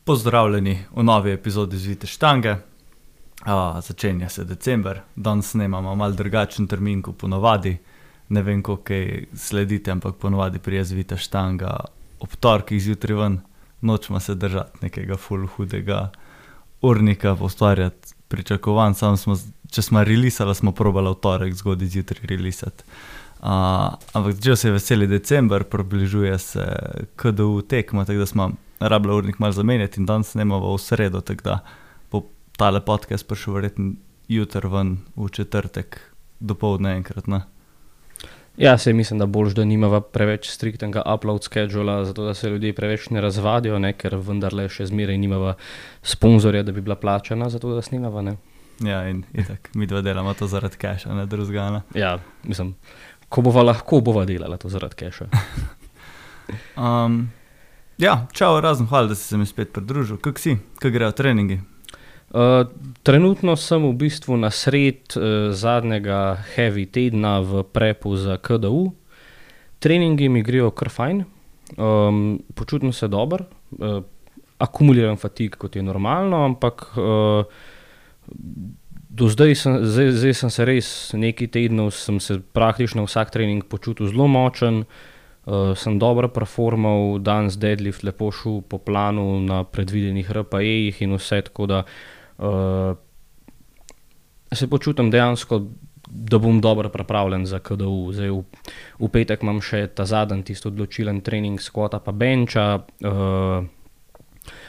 Pozdravljeni v novi epizodi Zvite štange. Začenja se december, danes snemamo malo drugačen termin kot ponovadi. Ne vem, koliko sledite, ampak ponovadi prije Zvita štanga ob torkih zjutraj ven. Nočemo se držati nekega ful hudega urnika, ustvarjati pričakovanj. Če smo releasali, smo probali v torek zgodaj zjutraj releasati. Ampak že se je veseli december, približuje se KDU tekma, tako da smo rabili urnik malo zamenjati in danes snemamo v sredo, tako da bo tale podcast prišel verjetno jutri ven v četrtek dopoldne enkrat, ne? Ja, saj mislim, da boljš, da nimava preveč striktnega upload schedula, zato da se ljudje preveč ne razvadijo, ne, ker vendarle še zmeraj nimava sponzorja, da bi bila plačana, zato da snimava, ne. Ja, in itak, mi dva delamo to zaradi keša, ne drugega, ne? Ja, mislim, ko bova lahko, bova delala to zaradi keša. Ja, čau, razen, hvala, da si se mi spet pridružil. Kako si? Kako grejo treningi? Trenutno sem v bistvu na sred zadnjega heavy tedna v prepu za KDU. Treningi mi grejo kar fajn, počutim se dobro, akumuliram fatig, kot je normalno, ampak do zdaj sem se res nekaj tednov, sem se praktično vsak trening počutil zelo močen, sem dobro performal, danes deadlift lepo šel po planu na predvidenih RPE-jih in vse, tako da se počutim dejansko, da bom dobro pripravljen za KDU. Zdaj v petek imam še ta zadnji tisto odločilen trening squata pa bencha,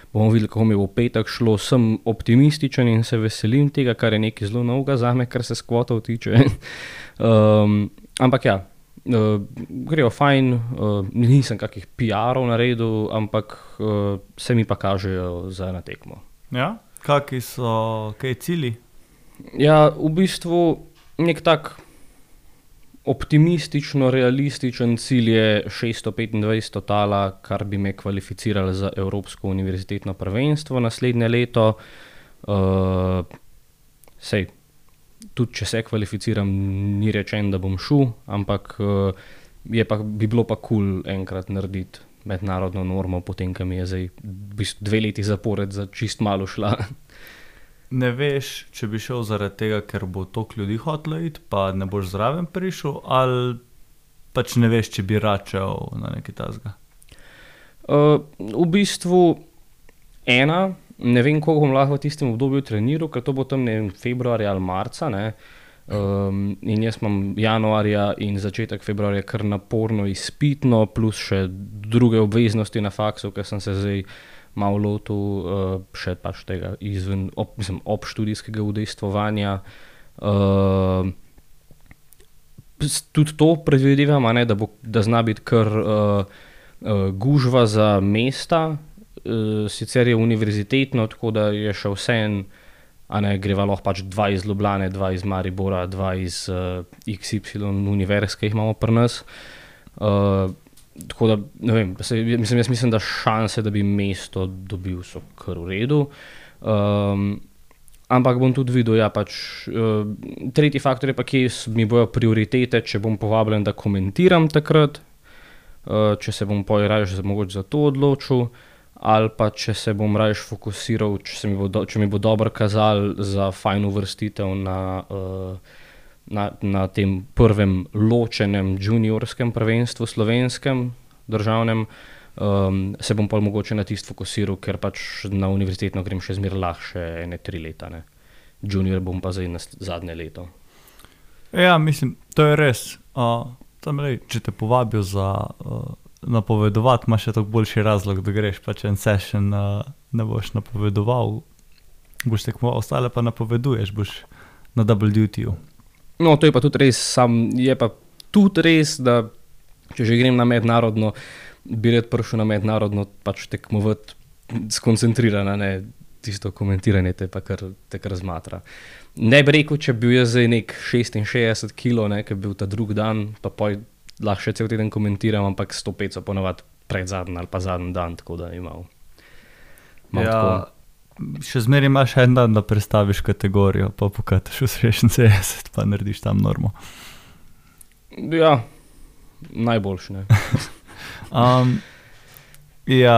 bomo videli, kako mi bo v petek šlo. Sem optimističen in se veselim tega, kar je nekaj zelo novega zame, kar se squatov tiče. Ampak ja, grejo fajn, nisem kakih PR-ov naredil, ampak se mi pa kažejo za eno tekmo. Ja? Kaki so, kaj cilji? Ja, v bistvu nek tak optimistično, realističen cilj je 625 totala, kar bi me kvalificiralo za Evropsko univerzitetno prvenstvo naslednje leto. Sej, tudi če se kvalificiram, ni rečen, da bom šel, ampak bi bilo pa cool enkrat narediti mednarodno normo, potem, ko mi je zdaj v bistvu 2 leti zapored za čist malo šla. Ne veš, če bi šel zaradi tega, ker bo toliko ljudi hotelo iti, pa ne boš zraven prišel, ali pač ne veš, če bi račel na nekaj tasga? V bistvu ne vem, koliko bom lahko v tistem obdobju treniral, ker to bo tam, ne vem, februarja ali marca, ne. In jaz imam januarja in začetek februarja kar naporno izpitno, plus še druge obveznosti na faksu, ker sem se zdaj malo lotil še pač tega obštudijskega udejstvovanja. Tudi to predvidevam, ne, da zna biti kar gužva za mesta, sicer je univerzitetno, tako da je še vseeno, greva lahko pač 2 iz Ljubljane, 2 iz Maribora, 2 iz XY univerz, ki jih imamo pri nas. Tako da, ne vem, jaz mislim, da šanse, da bi mesto dobil, so kar v redu. Ampak bom tudi videl, ja, pač tretji faktor je pa, kje mi bojo prioritete, če bom povabljen, da komentiram takrat, če se bom raje mogoče za to odločil, ali pa če se bom raje fokusiral, če mi bo dobro kazal za fajn uvrstitev na tem prvem ločenem juniorskem prvenstvu slovenskem državnem, se bom pa mogoče na tisto fokusiral, ker pač na univerzitetno grem še zmeraj lahko še 3 leta, ne. Junior bom pa zdaj na zadnje leto. Ja, mislim, to je res. Če te povabijo za napovedovati, imaš še tako boljši razlog, da greš, pač en session ne boš napovedoval, boš tekmoval, ostale pa napoveduješ, boš na double dutyju. No, to je pa tudi res, je pa tudi res, da če že grem na mednarodno, bi rad prišel na mednarodno pač tekmovati skoncentrirana, ne, tisto komentiranje te pa te kar zmatra. Ne bi rekel, če bi bil jaz zdaj nek 66 kilo, ne, ker bi bil ta drug dan, pa lahko še cel teden komentiram, ampak 105 so ponovadi predzadnji ali pa zadnji dan, tako da imam ja, še zmeraj imaš en dan, da prestaviš kategorijo, pa pokataš v 66, pa narediš tam normo. Ja, najboljši, ne. Ja,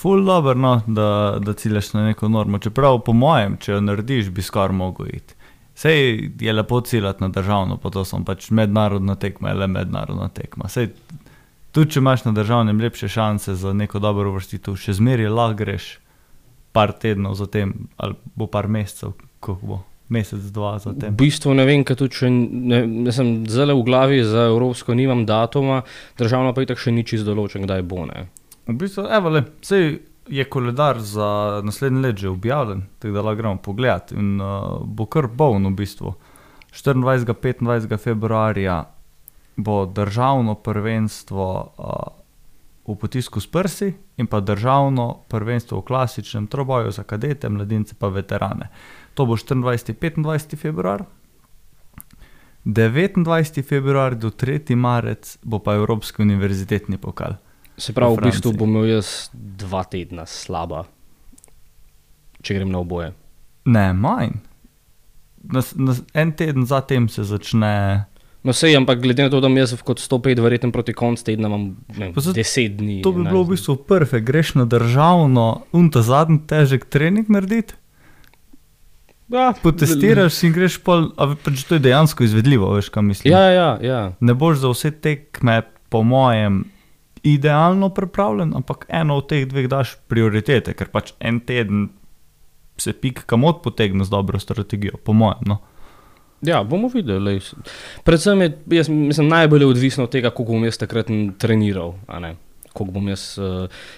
ful dobro, no, da ciljaš na neko normo. Čeprav po mojem, če jo narediš, bi skoraj mogel iti. Sej je lepo ciljati na državno, pa to sem pač mednarodna tekma, je le mednarodna tekma. Sej tudi, če imaš na državnem lepše šanse za neko dobro uvrstitev, še zmeraj lahko greš par tednov zatem, ali bo par mesecev, koliko bo, mesec, dva V zatem. bistvu ne vem, kaj tudi, če sem zelo v glavi za Evropsko, nimam datuma, državno pa itak še ni čisto določen, kdaj bo, ne. V bistvu, evo le, sej je koledar za naslednji let že objavljen, tako da lahko gremo pogledat in bo kar poln v bistvu. 24. 25. februarja bo državno prvenstvo v potisku s prsi in pa državno prvenstvo v klasičnem troboju za kadete, mladince pa veterane. To bo 24. 25. februar. 29. februar do 3. marec bo pa Evropski univerzitetni pokal. Se pravi, V v bistvu Franciji. bom imel jaz 2 tedna slaba, če grem na oboje. Ne, manj. En teden zatem se začne. No sej, ampak glede na to, da mi jaz kot 105 verjetno proti koncu tedna imam ne, vem, Pa zato- 10 dni. To bi 11 bilo v bistvu perfekt, greš na državno, ta zadnji težek trening narediti, Ja, potestiraš in greš pol, a pač to je dejansko izvedljivo, veš, kam mislim. Ja. Ne boš za vse tekme, po mojem, idealno pripravljen, ampak eno od teh dveh daš prioritete, ker pač en teden se pik kamot potegne z dobro strategijo, po mojem, no. Ja, bomo videli. Predvsem je, jaz mislim, najbolj je odvisno od tega, koliko bom jaz takrat treniral, a ne. Koliko bom jaz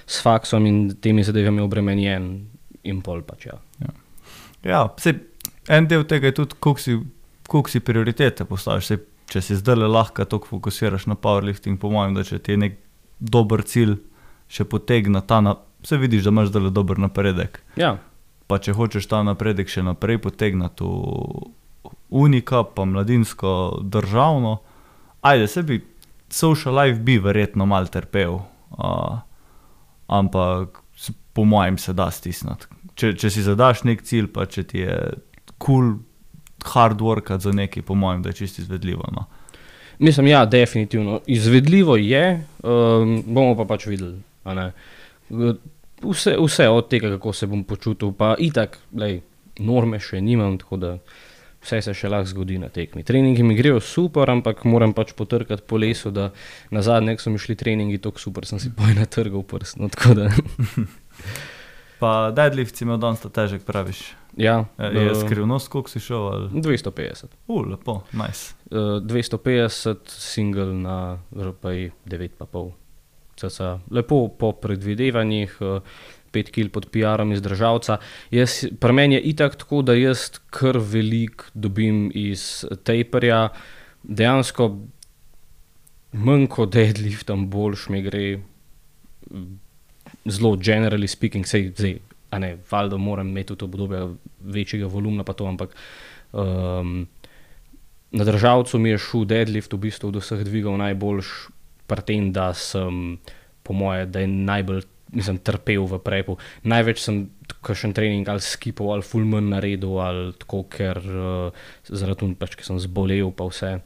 s faksom in temi zadevami obremenjen in pol pač, ja. Ja, sej, en del tega je tudi, koliko si prioritete postaviš. Sej, če si zdajle lahko toliko fokusiraš na powerlifting, po mojem, da če ti je nek dober cilj še potegne se vidiš, da imaš zdajle dober napredek. Ja, Pa če hočeš ta napredek še naprej potegnati v Unicap, pa mladinsko državno, ajde, se bi social life bi verjetno malo trpel, ampak po mojem se da stisniti. Če si zadaš nek cilj, pa če ti je cool hard workat za nekaj, po mojem, da je čisto izvedljivo, no. mislim, ja, definitivno. Izvedljivo je, bomo pa pač videli, a ne. Vse od tega, kako se bom počutil, pa itak, lej, norme še nimam, tako da vse se še lahko zgodi na tekmi. Treningi mi grejo super, ampak moram pač potrkati po lesu, da nazadnje, ko so mi šli treningi tako super, sem si poj natrgal prst, no, tako da. Pa deadlift si imel danes ta težek, praviš. Ja, Je skrivnost, koliko si šel, ali? 250. Lepo, nice. 250 single na RPI 9,5 cc. Lepo po predvidevanjih, 5 kg pod PR-om iz državca. Pri meni je itak tako, da jaz kar veliko dobim iz taperja. Dejansko manj kot deadliftam, boljš mi gre, zelo generally speaking, zdaj, a ne, valjda moram imeti v to obdobje večjega volumna pa to, ampak na državcu mi je šel deadlift v bistvu od vseh dvigov najboljš pri tem, da sem, po moje, da je najbolj, mislim, trpel v prepu. Največ sem kakšen trening ali skipal, ali ful manj naredil, ali tako, ker zaradi pač, ker sem zbolel pa vse.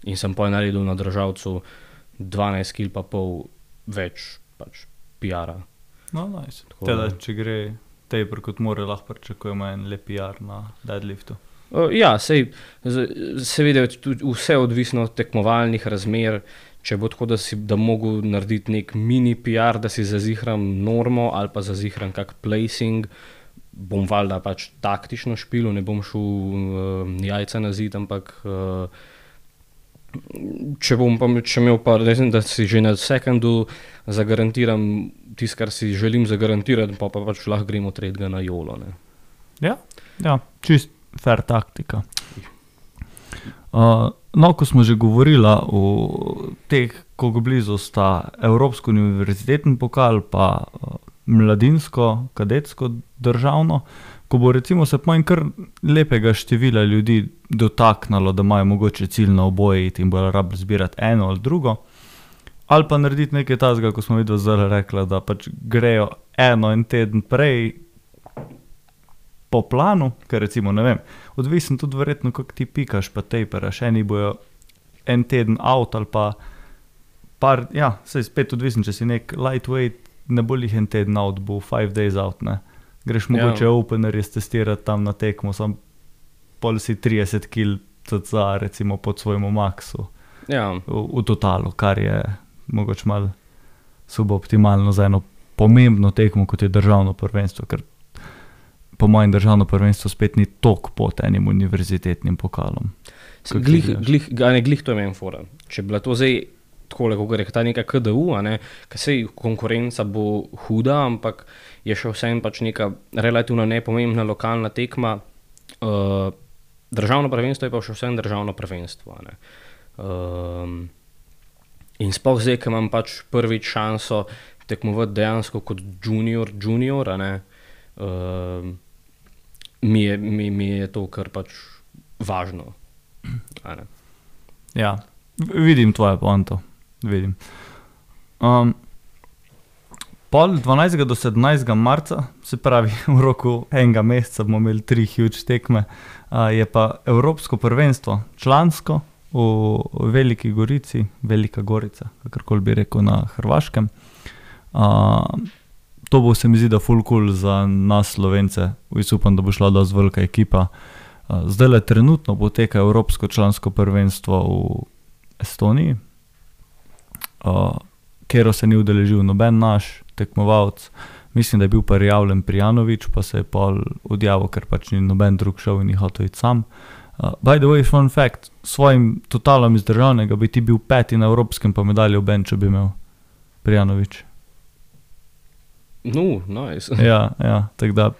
In sem pol naredil na državcu 12 kg pa pol več pač PR-a. No, nice. Tako Teda, da- če gre taper kot more, lahko pričakujemo en lep PR na deadliftu. Ja, seveda je tudi vse odvisno od tekmovalnih razmer. Če bo tako, da mogu narediti nek mini PR, da si zazihram normo ali pa zazihram kak placing, bom valjda pač taktično špilil, ne bom šel jajca na zid, ampak če imel pa, da si že na sekundu zagarantiram tisto, kar si želim zagarantirati, pa pač lahko gremo tretjega na jolo, ne. Ja, čist fair taktika. No, ko smo že govorili o teh, koliko blizu sta Evropsko univerzitetni pokal pa mladinsko, kadetsko državno, ko bo recimo se po kar lepega števila ljudi dotaknalo, da imajo mogoče cilj na oboje iti in bojo rabili zbirati eno ali drugo, ali pa narediti nekaj takega, ko smo vidva zdaj rekla, da pač grejo en teden prej po planu, ker recimo, ne vem, odvisen tudi verjetno, kako ti pikaš pa taperaš, eni bojo en teden out ali pa sej spet odvisen, če si nek lightweight, ne bo jih en teden out, bo 5 days out, ne. Greš mogoče openerje testirati tam na tekmo, sam pol si 30 kil cca recimo pod svojemu maksu v totalu, kar je mogoče malo suboptimalno za eno pomembno tekmo, kot je državno prvenstvo, ker po mojem državno prvenstvo spet ni tok pod enim univerzitetnim pokalom. Glih to je meni fora. Če bila to zdaj takole, kako je ta neka KDU, ker sej konkurenca bo huda, ampak je še vsem pač neka relativno nepomembna lokalna tekma. Državno prvenstvo je pa še vsem državno prvenstvo. In sploh zdaj, ker imam pač prvič šanso tekmovati dejansko kot junior, mi je to kar pač važno. Ja, vidim tvoje poanto. Vidim. Pol 12. do 17. marca, se pravi v roku enega meseca bomo imeli 3 huge tekme, je pa Evropsko prvenstvo člansko v Veliki Gorici, Velika Gorica, kakorkoli bi rekel na Hrvaškem. To bo, se mi zdi, da ful cool za nas Slovence. Upam, da bo šla dosti velika ekipa. Zdajle trenutno poteka Evropsko člansko prvenstvo v Estoniji, kjer se ni udeležil noben naš tekmovalec. Mislim, da je bil pa prijavljen Prijanovič, pa se je pol odjavil, ker pač ni noben drug šel in ni hotel iti sam. By the way, fun fact, svojim totalom iz državnega bi ti bil 5. na evropskem, pa medaljo ben, če bi imel Prijanovič. Nice. Ja, tako da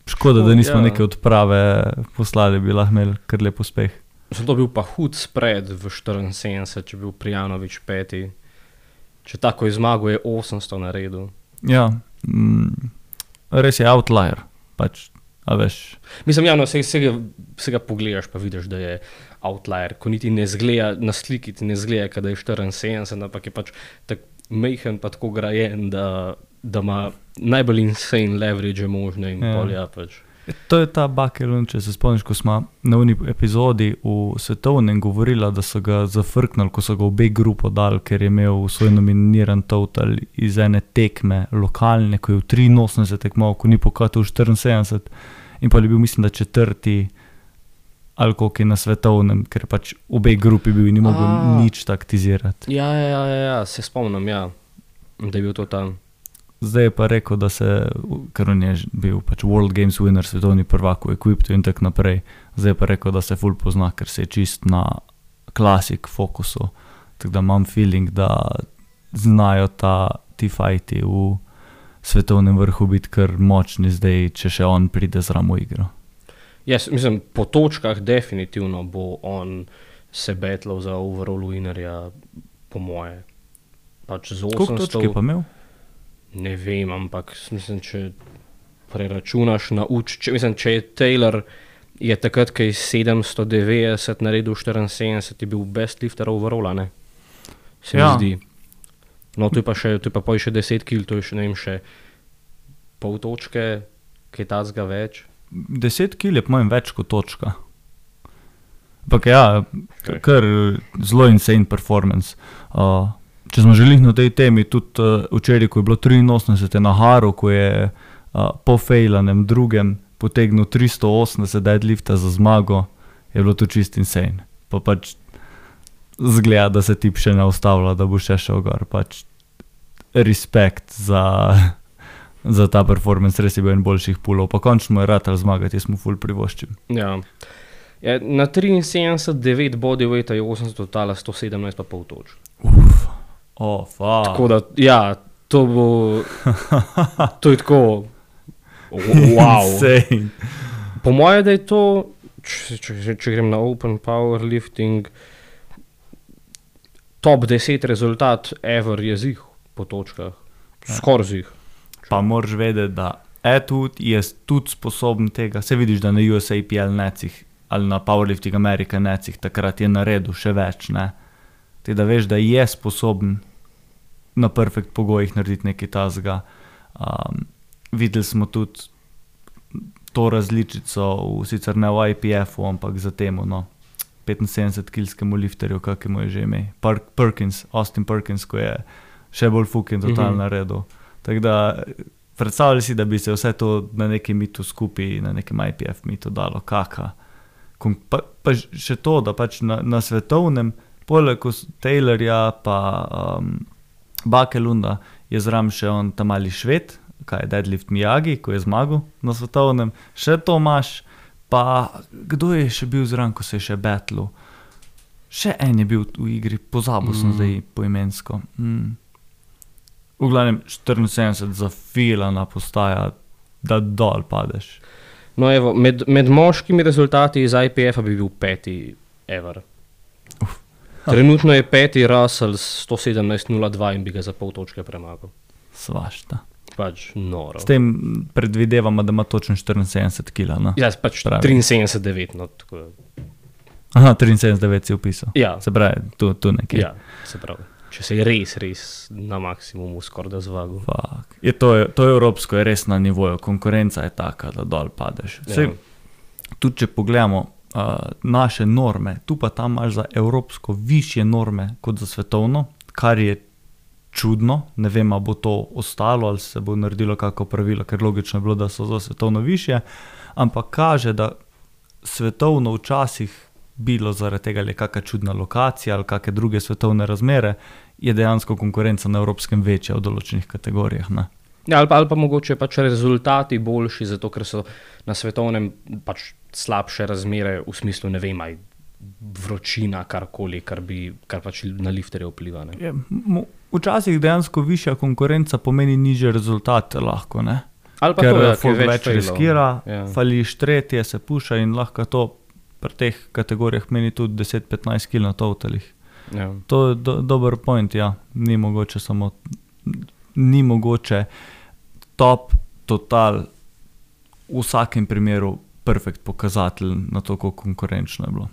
škoda, da nismo neke odprave poslali, bi lahko imeli kar lep uspeh. Sem to bil pa hud spread v 74, če bil Prijanovič 5. Če tako je zmagal, je 800 naredil. Ja, res je outlier, pač, a veš. Mislim, se ga pogledaš, pa vidiš, da je outlier, ko niti ne zgleda, na sliki ti ne zgleda, kada je 74, ampak je pač tak mejhen, pa tako grajen, da ima najbolj insane leverage možne in polja pač. To je ta Bakelun, če se spomniš, ko smo na uni epizodi v svetovnem govorila, da so ga zafrknili, ko so ga obe grupo dali, ker je imel svoj nominiran total iz ene tekme lokalne, ko je v 83 tekmoval, ko ni pokatil v 74 in pa je bil, mislim, da 4. ali koliko je na svetovnem, ker pač obe grupi bil in ni mogel nič taktizirati. Ja, se spomnim, da je bil to tam. Zdaj je pa rekel, da se, ker on je bil pač World Games winner, svetovni prvak v Equiptu in tak naprej, zdaj je pa rekel, da se ful pozna, ker se je čist na klasik fokusu, tako da imam feeling, da znajo ti fajti v svetovnem vrhu biti kar močni zdaj, če še on pride zraven v igro. Jaz mislim, po točkah definitivno bo on se betlal za overall winnerja, po moje. Pač z 800... Koliko točke pa imel? Ne vem, ampak mislim, če preračunaš na če je Taylor je takrat, ko je 790 naredil 74, je bil best lifter overall, ne? Se mi zdi. No, to je pa še 10 kil, to je še, ne vem, še pol točke, kaj tacga več. 10 kil je po mojem več kot točka. Ampak kar zelo insane performance. Če smo želeli na tej temi, tudi včeraj, ko je bilo 83 na Haru, ko je po fejlanem drugem potegnil 380 deadlifta za zmago, je bilo to čist insane. Pa pač zgleda, da se tip še ne ustavlja, da bo še šel gor. Pač respekt za ta performance, res je bil en boljših pulov. Pa končno je ratal zmagati, jaz mu ful privoščim. Ja, na 73, 9 bodyweighta je 800 totala, 117 pa pol točk. Tako da, to bo, to je tako, wow. Insane. Po moje, da je to, če grem na open powerlifting, top 10 rezultat ever je zih po točkah, skoraj zih. Pa moraš vedeti, da Etud je tudi sposoben tega, se vidiš, da na USAPL necih ali na Powerlifting America necih takrat je naredil še več, ne. Te da veš, da je sposoben na perfekt pogojih narediti nekaj tazga. Videli smo tudi to različico, sicer ne v IPF-u, ampak za temu, no. 75-kilskemu lifterju, kakemu je že ime, Austin Perkins, ko je še bolj fucking totalno naredil. Tako da predstavljali si, da bi se vse to na nekem mitu skupaj, na nekem IPF mitu dalo, kaka. Pa še to, da pač na svetovnem, poleg Taylorja pa Bakelunda je zraven še on ta mali Šved, kaj je Deadlift Miyagi, ko je zmagal na svetovnem, še to imaš, pa kdo je še bil zraven, ko se je še battlu? Še en je bil v igri, pozabil sem zdaj poimensko. V glavnem 74 zafilana postaja, da dol padeš. No evo, med moškimi rezultati iz IPF-a bi bil 5. ever. Trenutno je 5. Russell s 117.02 in bi ga za pol točke premagal. Svašta. Pač noro. S tem predvidevamo, da ima točno 74 kila, no? Ja, pač 73.9, no, tako. Aha, 73.9 si upisal. Ja. Se pravi, tu nekaj. Ja, se pravi. Če se je res na maksimumu skoraj da zvagal. Fuck. To evropsko je res na nivoju, konkurenca je taka, da dol padeš. Sej, tudi če pogledamo naše norme, tu pa tam imaš za evropsko višje norme kot za svetovno, kar je čudno, ne vem, ali bo to ostalo, ali se bo naredilo kako pravilo, ker logično je bilo, da so za svetovno višje, ampak kaže, da svetovno včasih bilo zaradi tega ali kakšna čudna lokacija ali kakšne druge svetovne razmere, je dejansko konkurenca na evropskem večja v določenih kategorijah, ne? Ja, ali pa mogoče pač rezultati boljši, zato ker so na svetovnem pač slabše razmere, v smislu, ne vem, vročina, karkoli, kar pač na lifterje vpliva, ne? Včasih dejansko višja konkurenca pomeni nižje rezultate lahko, ne? Ali pa ker to, folk več riskira, fališ tretje, se puša in lahko to pri teh kategorijah meni tudi 10-15 kil na totalih. Ja. To je dober point, ja. Ni mogoče top, total, v vsakem primeru perfekt pokazatelj na to, kako konkurenčno je bilo.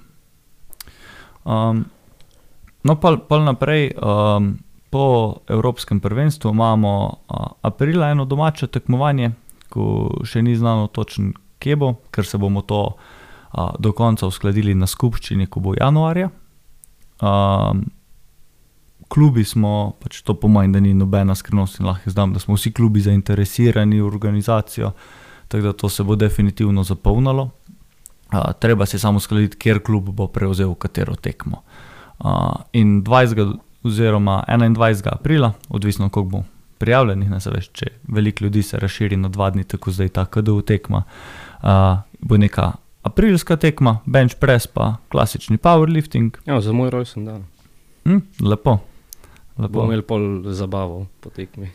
No, pa naprej, po Evropskem prvenstvu imamo aprila eno domače tekmovanje, ko še ni znano točen kje bo, ker se bomo to do konca uskladili na skupščini, ko bo januarja. Klubi smo, pač to pomeni, da ni nobena skrivnost in lahko znam, da smo vsi klubi zainteresirani v organizacijo, tako da to se bo definitivno zapolnilo. Treba se samo uskladiti, kjer klub bo prevzel katero tekmo. In 20. oziroma 21. aprila, odvisno koliko bo prijavljenih, ne se veš, če veliko ljudi se razširi na 2 dni, tako zdaj ta KDU tekma, bo neka aprilska tekma, bench press pa klasični powerlifting. Ja, za moj rojsten dan. Lepo. Bomo imeli pol zabavo po tekmi.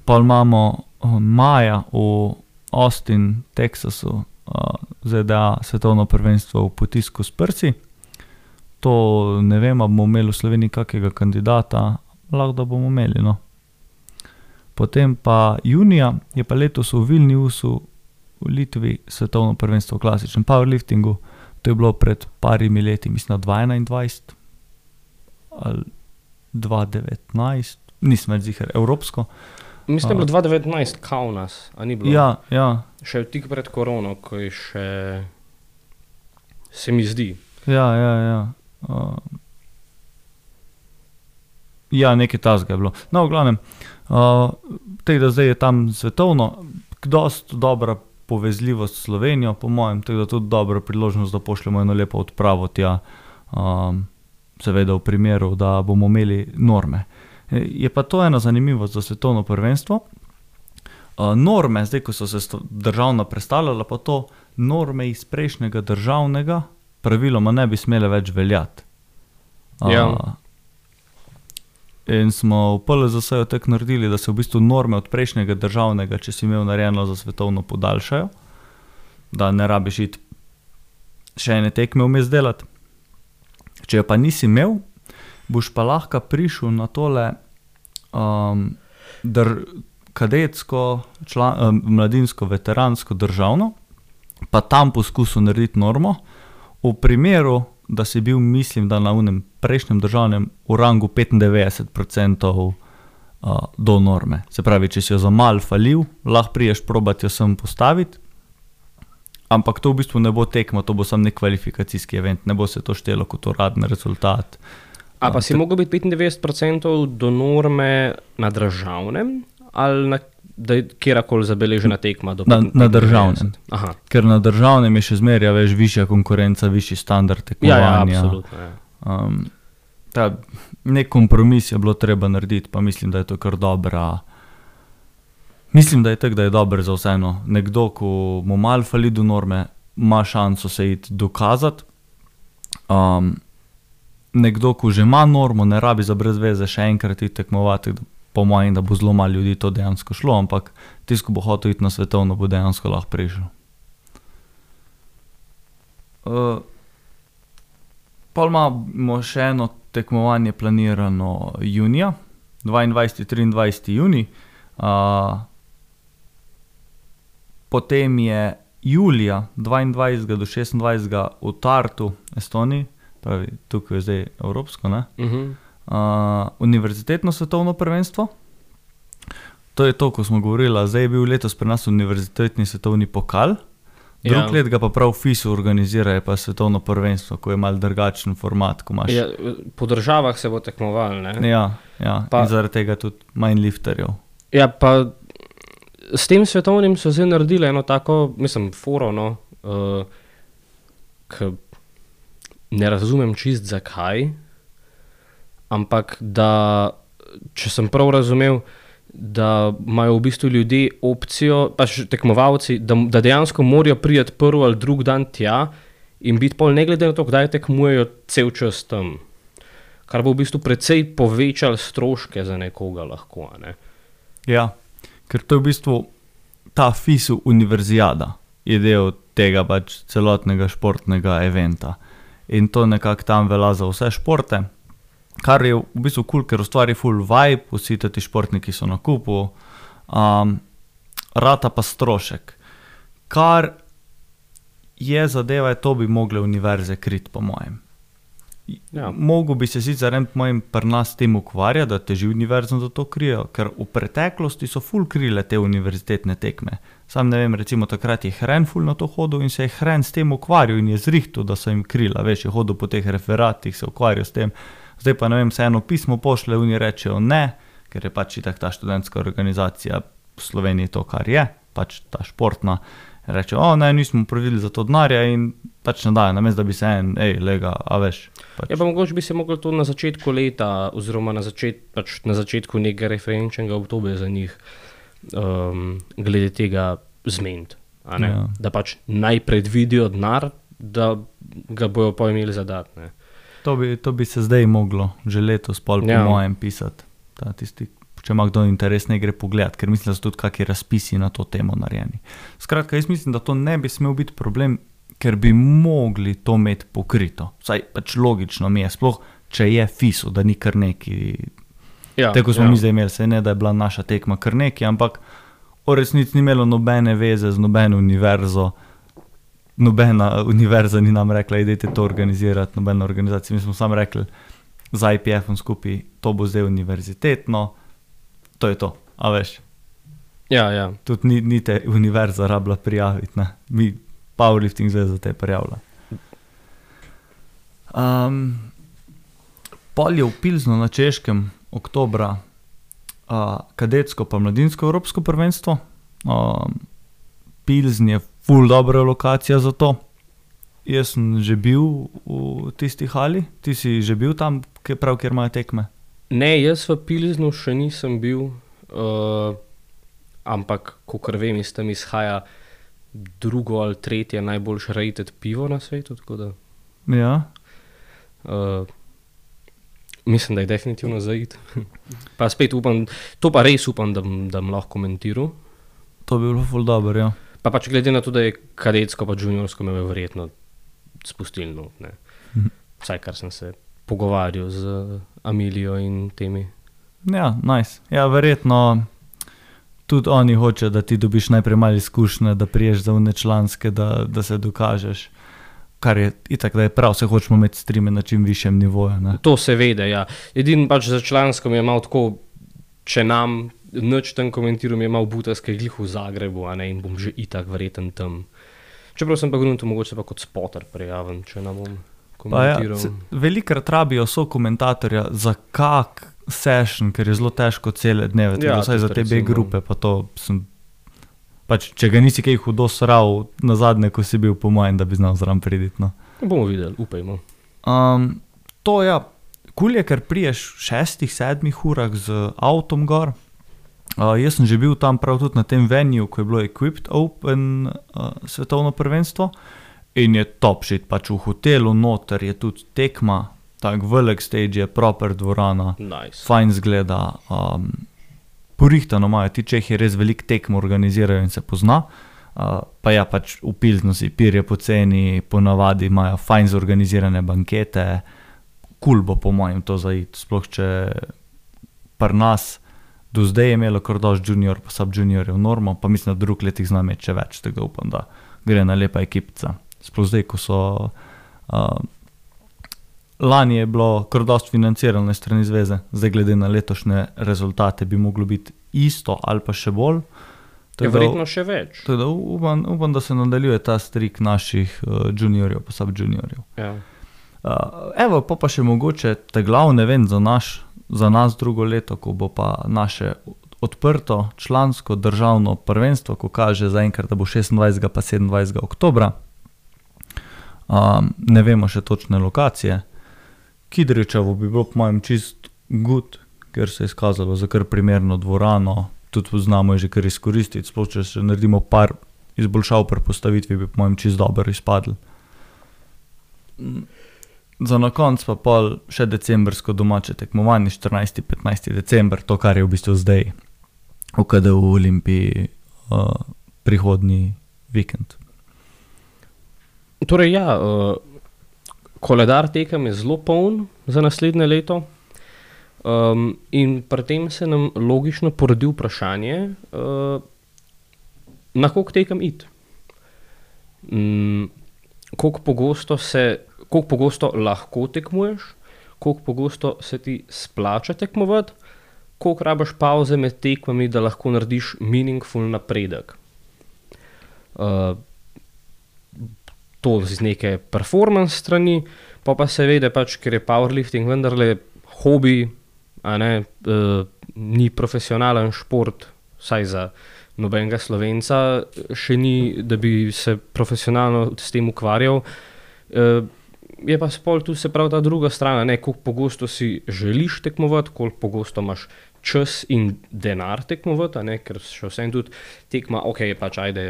Pol imamo maja v Austin, Texasu, ZDA svetovno prvenstvo v potisku s prsi. To ne vem, ali bomo imeli v Sloveniji kakega kandidata, lahko da bomo imeli, no. Potem pa junija je pa letos v Vilniusu v Litvi svetovno prvenstvo v klasičnem powerliftingu. To je bilo pred parimi leti, mislim, 2021 ali 2019, nisem več ziher, evropsko. Mislim, da je bilo 2019 Kaunas, a ni bilo? Ja. Še tik pred korono, ko je še, se mi zdi. Ja. Ja, nekaj tasga je bilo. No, v glavnem, da zdaj je tam svetovno, dosti dobra povezljivost s Slovenijo, po mojem, tako da tudi dobra priložnost, da pošljemo eno lepo odpravo tja, seveda v primeru, da bomo imeli norme. Je pa to ena zanimivost za svetovno prvenstvo. Norme, zdaj, ko so se državna prestavljala, pa to norme iz prejšnjega državnega praviloma ne bi smele več veljati. Ja. In smo v PLZS-ju tako naredili, da se v bistvu norme od prejšnjega državnega, če si imel narejeno za svetovno, podaljšajo, da ne rabiš iti še ene tekme vmes delati. Če jo pa nisi imel, boš pa lahko prišel na tole kadetsko, mladinsko, veteransko državno, pa tam poskusil narediti normo, v primeru, da si bil, mislim, da na unem prejšnjem državnem v rangu 95% do norme. Se pravi, če si jo za malo falil, lahko priješ probati jo sem postaviti, Ampak to v bistvu ne bo tekma, to bo samo nek kvalifikacijski event, ne bo se to štelo kot uradni rezultat. A pa si mogel biti 95% do norme na državnem ali na kjerkoli zabeležena tekma? Na državnem. Aha. Ker na državnem je še zmerja višja konkurenca, višji standard tekmovanja. Ja, absolutno. Ja. Nek kompromis je bilo treba narediti, pa mislim, da je to kar dobra. Mislim, da je tako, da je dober za vseeno. Nekdo, ko mu malo fali do norme, ima šanso se iti dokazati. Nekdo, ko že ima normo, ne rabi za brez veze še enkrat iti tekmovati, po mojem, da bo zelo malo ljudi to dejansko šlo, ampak tisto, ko bo hotel iti na svetovno, bo dejansko lahko prišel. Pol imamo še eno tekmovanje planirano junija, 22-23 junij. Potem je julija 22. do 26. v Tartu, Estoniji, pravi, tukaj je zdaj evropsko, ne? Univerzitetno svetovno prvenstvo. To je to, ko smo govorili, zdaj je bil letos pri nas univerzitetni svetovni pokal, drug let ga pa prav FISU organizira, je pa svetovno prvenstvo, ko je malo drugačen format, ko imaš. Ja, po državah se bo tekmoval, ne? Ja, in zaradi tega tudi manj lifterjev. Ja, pa s tem svetovnim so zdaj naredili eno tako, mislim, foro, no, ki ne razumem čist zakaj, ampak da, če sem prav razumel, da imajo v bistvu ljudje opcijo, pač tekmovalci, da dejansko morajo priti prvi ali drug dan tja in biti pol ne glede na to, kdaj tekmujejo cel čas tam. Kar bo v bistvu precej povečal stroške za nekoga lahko, ne? Ja, ker to je v bistvu ta FISU univerzijada, je del tega pač celotnega športnega eventa. In to nekako tam velja za vse športe, kar je v bistvu cool, ker ustvari full vibe, vsi ti športniki so na kupu, rata pa strošek. Kar je zadeva, to bi mogle univerze kriti, po mojem. Ja. Mogel bi se sicer mojim pri nas s tem ukvarjati, da teži univerzam za to krijo, ker v preteklosti so ful krile te univerzitetne tekme. Sam ne vem, recimo takrat je Hren ful na to hodil in se je Hren s tem ukvarjal in je zrihtel, da so jim krila, veš, je hodil po teh referatih, se ukvarjal s tem. Zdaj pa ne vem, se eno pismo pošle, oni rečejo ne, ker je pač itak ta študentska organizacija v Sloveniji to, kar je, pač ta športna. Rečejo, ne, nismo pravili za to denarja in pač ne dajo, namesto da bi se lega, a veš. Pač. Ja, pa mogoče bi se mogli to na začetku leta, oziroma na začetku nekega referenčnega obdobja za njih glede tega zmeniti, a ne? Ja. Da pač naj predvidijo denar, da ga bojo pa imeli zadat, ne? To bi se zdaj moglo, že letos pol po mojem pisati, tisti. Če ima kdo interes, ne gre pogledat, ker mislim, da so tudi kakšni razpisi na to temo narejeni. Skratka, jaz mislim, da to ne bi smel biti problem, ker bi mogli to imeti pokrito. Vsaj pač logično mi je, sploh če je FISU, da ni kar neki. Tako smo mi zdaj imeli, se ne, da je bila naša tekma kar neki, ampak v resnici ni imelo nobene veze z nobeno univerzo. Nobena univerza ni nam rekla, idete to organizirati, nobena organizacija. Mi smo samo rekli, z IPF-om skupaj, to bo zdaj univerzitetno. To je to, a veš. Ja. Tudi ni te univerza rabila prijaviti, ne. Mi Powerlifting zveza te prijavila. Pol je v Pilznu na Češkem oktobra kadetsko pa mladinsko evropsko prvenstvo. Pilzen je ful dobra lokacija za to. Jaz sem že bil v tisti hali, ti si že bil tam, prav kjer imajo tekme? Ne, jaz v Pilznu še nisem bil, ampak, kakor vem, iz tam izhaja drugo ali tretje najboljše rated pivo na svetu, tako da. Ja. Mislim, da je definitivno za iti. Pa spet upam, to pa res upam, da bom lahko komentiral. To bi bilo ful dobro, ja. Pa pač glede na to, da je kadetsko pa juniorsko me verjetno spustili not, ne. Vsaj kar sem se pogovarjal z Amilijo in temi. Ja, nice. Ja, verjetno tudi oni hoče, da ti dobiš najprej malo izkušnje, da priješ za unečlanske, da se dokažeš. Kar je itak, da je prav, se hočemo imeti streame na čim višjem nivoju, ne. To se vede, ja. Edin pač za člansko mi je malo tako, če nam nič tam komentiral, mi je malo butaske glih v Zagrebu, a ne, in bom že itak verjeten tam. Čeprav sem pa grunto mogoče pa kot spotter prijaven, če ne bom Pa ja, komentiral. velikrat rabijo so komentatorja za kak session, ker je zelo težko cele dneve, Ja, vsaj za tudi te B recimo. grupe, pa to sem, pač, če ga nisi kaj hudo sral nazadnje, ko si bil po mojem, da bi znal zraven priditi, no. Bomo videli, upajmo. To ja, kul je, ker priješ 6-7 urah z avtom gor. Jaz sem že bil tam prav tudi na tem venue, ko je bilo Equipped Open svetovno prvenstvo in je top shit, pač v hotelu noter je tudi tekma, tak velik stage je, proper dvorana, Nice. fajn zgleda, porihtano imajo, ti Čehi res velik tekmo organizirajo in se pozna, pa ja, pač v Pilznu si pir je poceni, ponavadi imajo fajn zorganizirane bankete, kul bo po mojem to zaiti, sploh če pri nas do zdaj je imelo kar dosti junior pa sub-juniorjev normo, pa mislim, da drug letih zna imeti še več, tako upam, da gre na lepa ekipca. Sploh zdaj, ko so lani je bilo kar dosti financirano na strani zveze, zdaj glede na letošnje rezultate bi moglo biti isto ali pa še bolj. Je verjetno še več. Tako da upam, da se nadaljuje ta strik naših juniorjev pa sub-juniorjev. Ja. Evo, pa še mogoče te glavne event za nas drugo leto, ko bo pa naše odprto člansko državno prvenstvo, ko kaže zaenkrat, da bo 26. pa 27. oktobra. Ne vemo še točne lokacije. Kidričevo bi bilo po mojem čist good, ker se je izkazalo za kar primerno dvorano, tudi znamo je že kar izkoristiti, sploh če še naredimo par izboljšav pri postavitvi, bi po mojem čist dobro izpadli. Za na konc pa pol še decembrsko domače tekmovanje, 14-15. december, to kar je v bistvu zdaj v KDU Olimpiji prihodnji vikend. Torej ja, koledar tekem je zelo poln za naslednje leto in pri tem se nam logično porodi vprašanje, na koliko tekem iti. Koliko pogosto lahko tekmuješ, koliko pogosto se ti splača tekmovati, koliko rabiš pavze med tekmami, da lahko narediš meaningful napredek. To z neke performance strani, pa seveda pač, ker je powerlifting vendarle hobi, a ne, ni profesionalen šport, vsaj za nobenega Slovenca še ni, da bi se profesionalno s tem ukvarjal. Je pa spol tu se pravi ta druga strana, ne, koliko pogosto si želiš tekmovati, koliko pogosto imaš čas in denar tekmovati, a ne, ker še vsem tudi tekma, ok, pač ajde,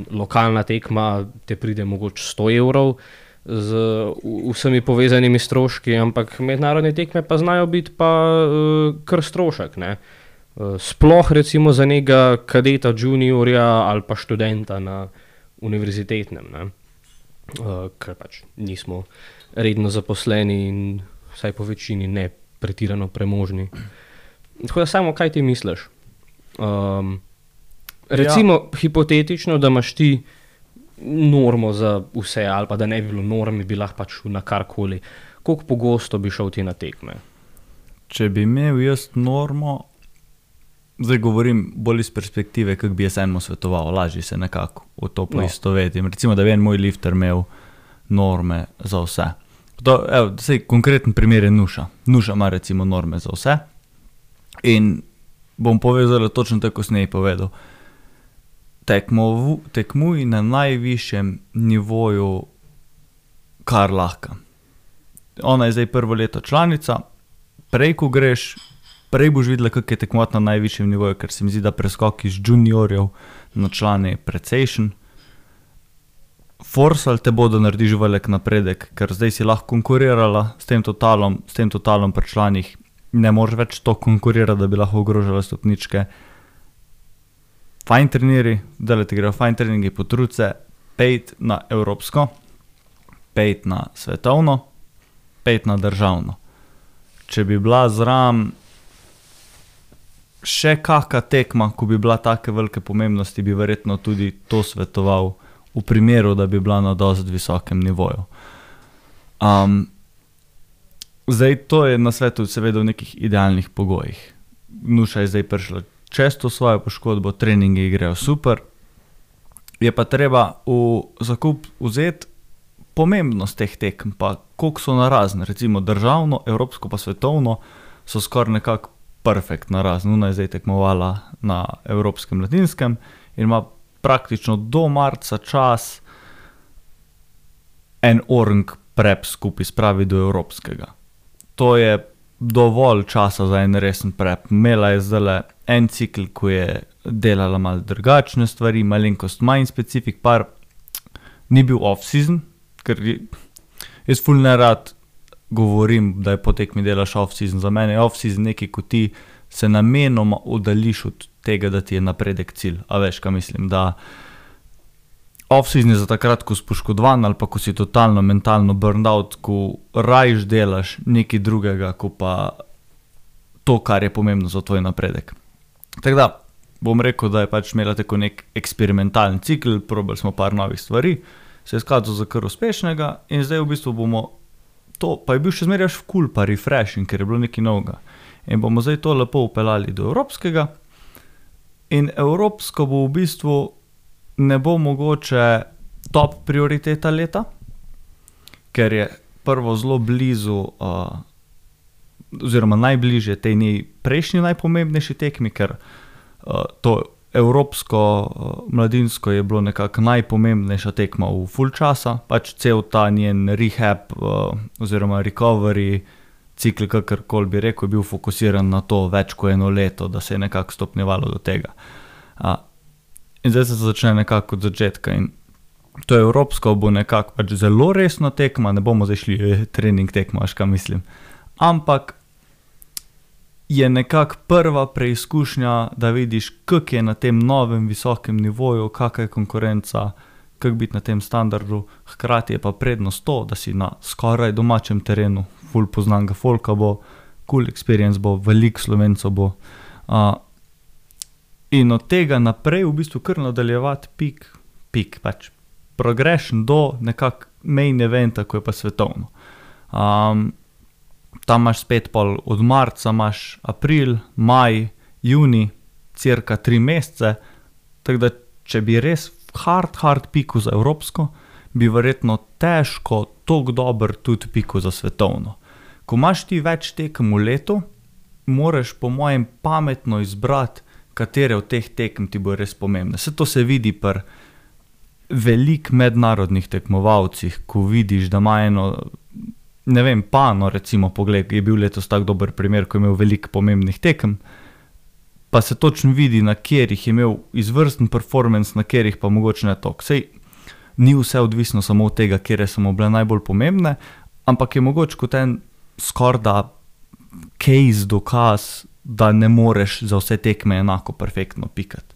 lokalna tekma te pride mogoče 100 evrov z vsemi povezanimi stroški, ampak mednarodne tekme pa znajo biti pa kar strošek, ne. Sploh recimo za nekega kadeta, juniorja ali pa študenta na univerzitetnem, ne. Ker pač nismo redno zaposleni in vsaj po večini ne pretirano premožni. Tako da samo, kaj ti misliš? Recimo hipotetično, da imaš ti normo za vse, ali pa da ne bi bilo norme, bi lahko pač na karkoli. Koliko pogosto bi šel ti na tekme? Če bi imel jaz normo, zdaj govorim bolj iz perspektive, kako bi jaz enemu svetoval, lažje se nekako v to poistovetim. Recimo, da bi en moj lifter imel norme za vse. Saj konkreten primer je Nuša. Nuša ima recimo norme za vse in bom povezal točno tako, kot sem jej povedal. Tekmuj na najvišjem nivoju, kar lahko. Ona je zdaj prvo leto članica, prej ko greš, prej boš videla, kako je tekmovati na najvišjem nivoju, ker se mi zdi, da preskok iz juniorjev na člane je precejšen. Forsal te bo, da narediš velik napredek, ker zdaj si lahko konkurirala s tem totalom pri članih, ne moreš več to konkurirati, da bi lahko ogrožala stopničke. Fajn treniri, dale ti grejo fajn treningi, potrud se, pejt na evropsko, pejt na svetovno, pejt na državno. Če bi bila zraven še kakšna tekma, ko bi bila take velike pomembnosti, bi verjetno tudi to svetoval v primeru, da bi bila na dosti visokem nivoju. Zdaj, to je na svetu seveda v nekih idealnih pogojih. Nuša je zdaj prišla čez to svojo poškodbo, treningi grejo super je pa treba v zakup vzeti pomembnost teh tekem, pa koliko so narazne, recimo državno, evropsko pa svetovno, so skoraj nekako perfekt narazne. Ona je zdaj tekmovala na evropskem mladinskem in ima praktično do marca čas en orang prep skupaj spravi do evropskega. To je dovolj časa za en resen prep. Imela je zdaj en cikl, ko je delala malo drugačne stvari, malenkost manj specifik, par ni bil off-season, ker jaz ful nerad govorim, da je po tekmi delaš off-season. Za mene je off-season nekaj, ko ti se namenoma oddališ od tega, da ti je napredek cilj. A veš, kaj mislim, da off-season je za takrat, ko si poškodovan ali pa ko si totalno mentalno burned out, ko rajš delaš nekaj drugega, ko pa to, kar je pomembno za tvoj napredek. Tako da, bom rekel, da je pač imela tako nek eksperimentalni cikl, probali smo par novih stvari, se je skazal za kar uspešnega in zdaj v bistvu bomo to, pa je bil še zmeraj cool pa refreshing, ker je bilo nekaj novega. In bomo zdaj to lepo upeljali do evropskega in evropsko bo v bistvu ne bo mogoče top prioriteta leta, ker je prvo zelo blizu, oziroma najbližje tej njej prejšnji najpomembnejši tekmi, ker to evropsko mladinsko je bilo nekako najpomembnejša tekma v full časa, pač cel ta njen rehab oziroma recovery cikl, kakorkoli bi rekel, je bil fokusiran na to več kot eno leto, da se je nekako stopnjevalo do tega. In zdaj se začne nekako od začetka in to evropsko bo nekako pač zelo resno tekma, ne bomo zdaj šli trening tekma, kaj mislim, ampak je nekako prva preizkušnja, da vidiš, kak je na tem novem visokem nivoju, kakva je konkurenca, kak biti na tem standardu, hkrati je pa prednost to, da si na skoraj domačem terenu, ful poznanga folka bo, cool experience bo, veliko Slovencev bo. In od tega naprej v bistvu kar nadaljevati pik, pač progression do nekak main eventa, ko je pa svetovno. Tam imaš spet pol od marca, imaš april, maj, juni, cirka 3 mesece, tako da če bi res hard piku za evropsko, bi verjetno težko toliko dober tudi piku za svetovno. Ko imaš ti več tekem v letu, moraš po mojem pametno izbrati, katere od teh tekem ti bo res pomembne. Vse to se vidi pri velik mednarodnih tekmovalcih, ko vidiš, da ima eno, ne vem, Pano recimo, pogled, je bil letos tak dober primer, ko je imel veliko pomembnih tekem, pa se točno vidi, na kjerih je imel izvrsten performance, na kjerih pa mogoče ne toliko. Sej ni vse odvisno samo od tega, kjer so mu bile najbolj pomembne, ampak je mogoče kot en skorda case dokaz, da ne moreš za vse tekme enako perfektno pikati.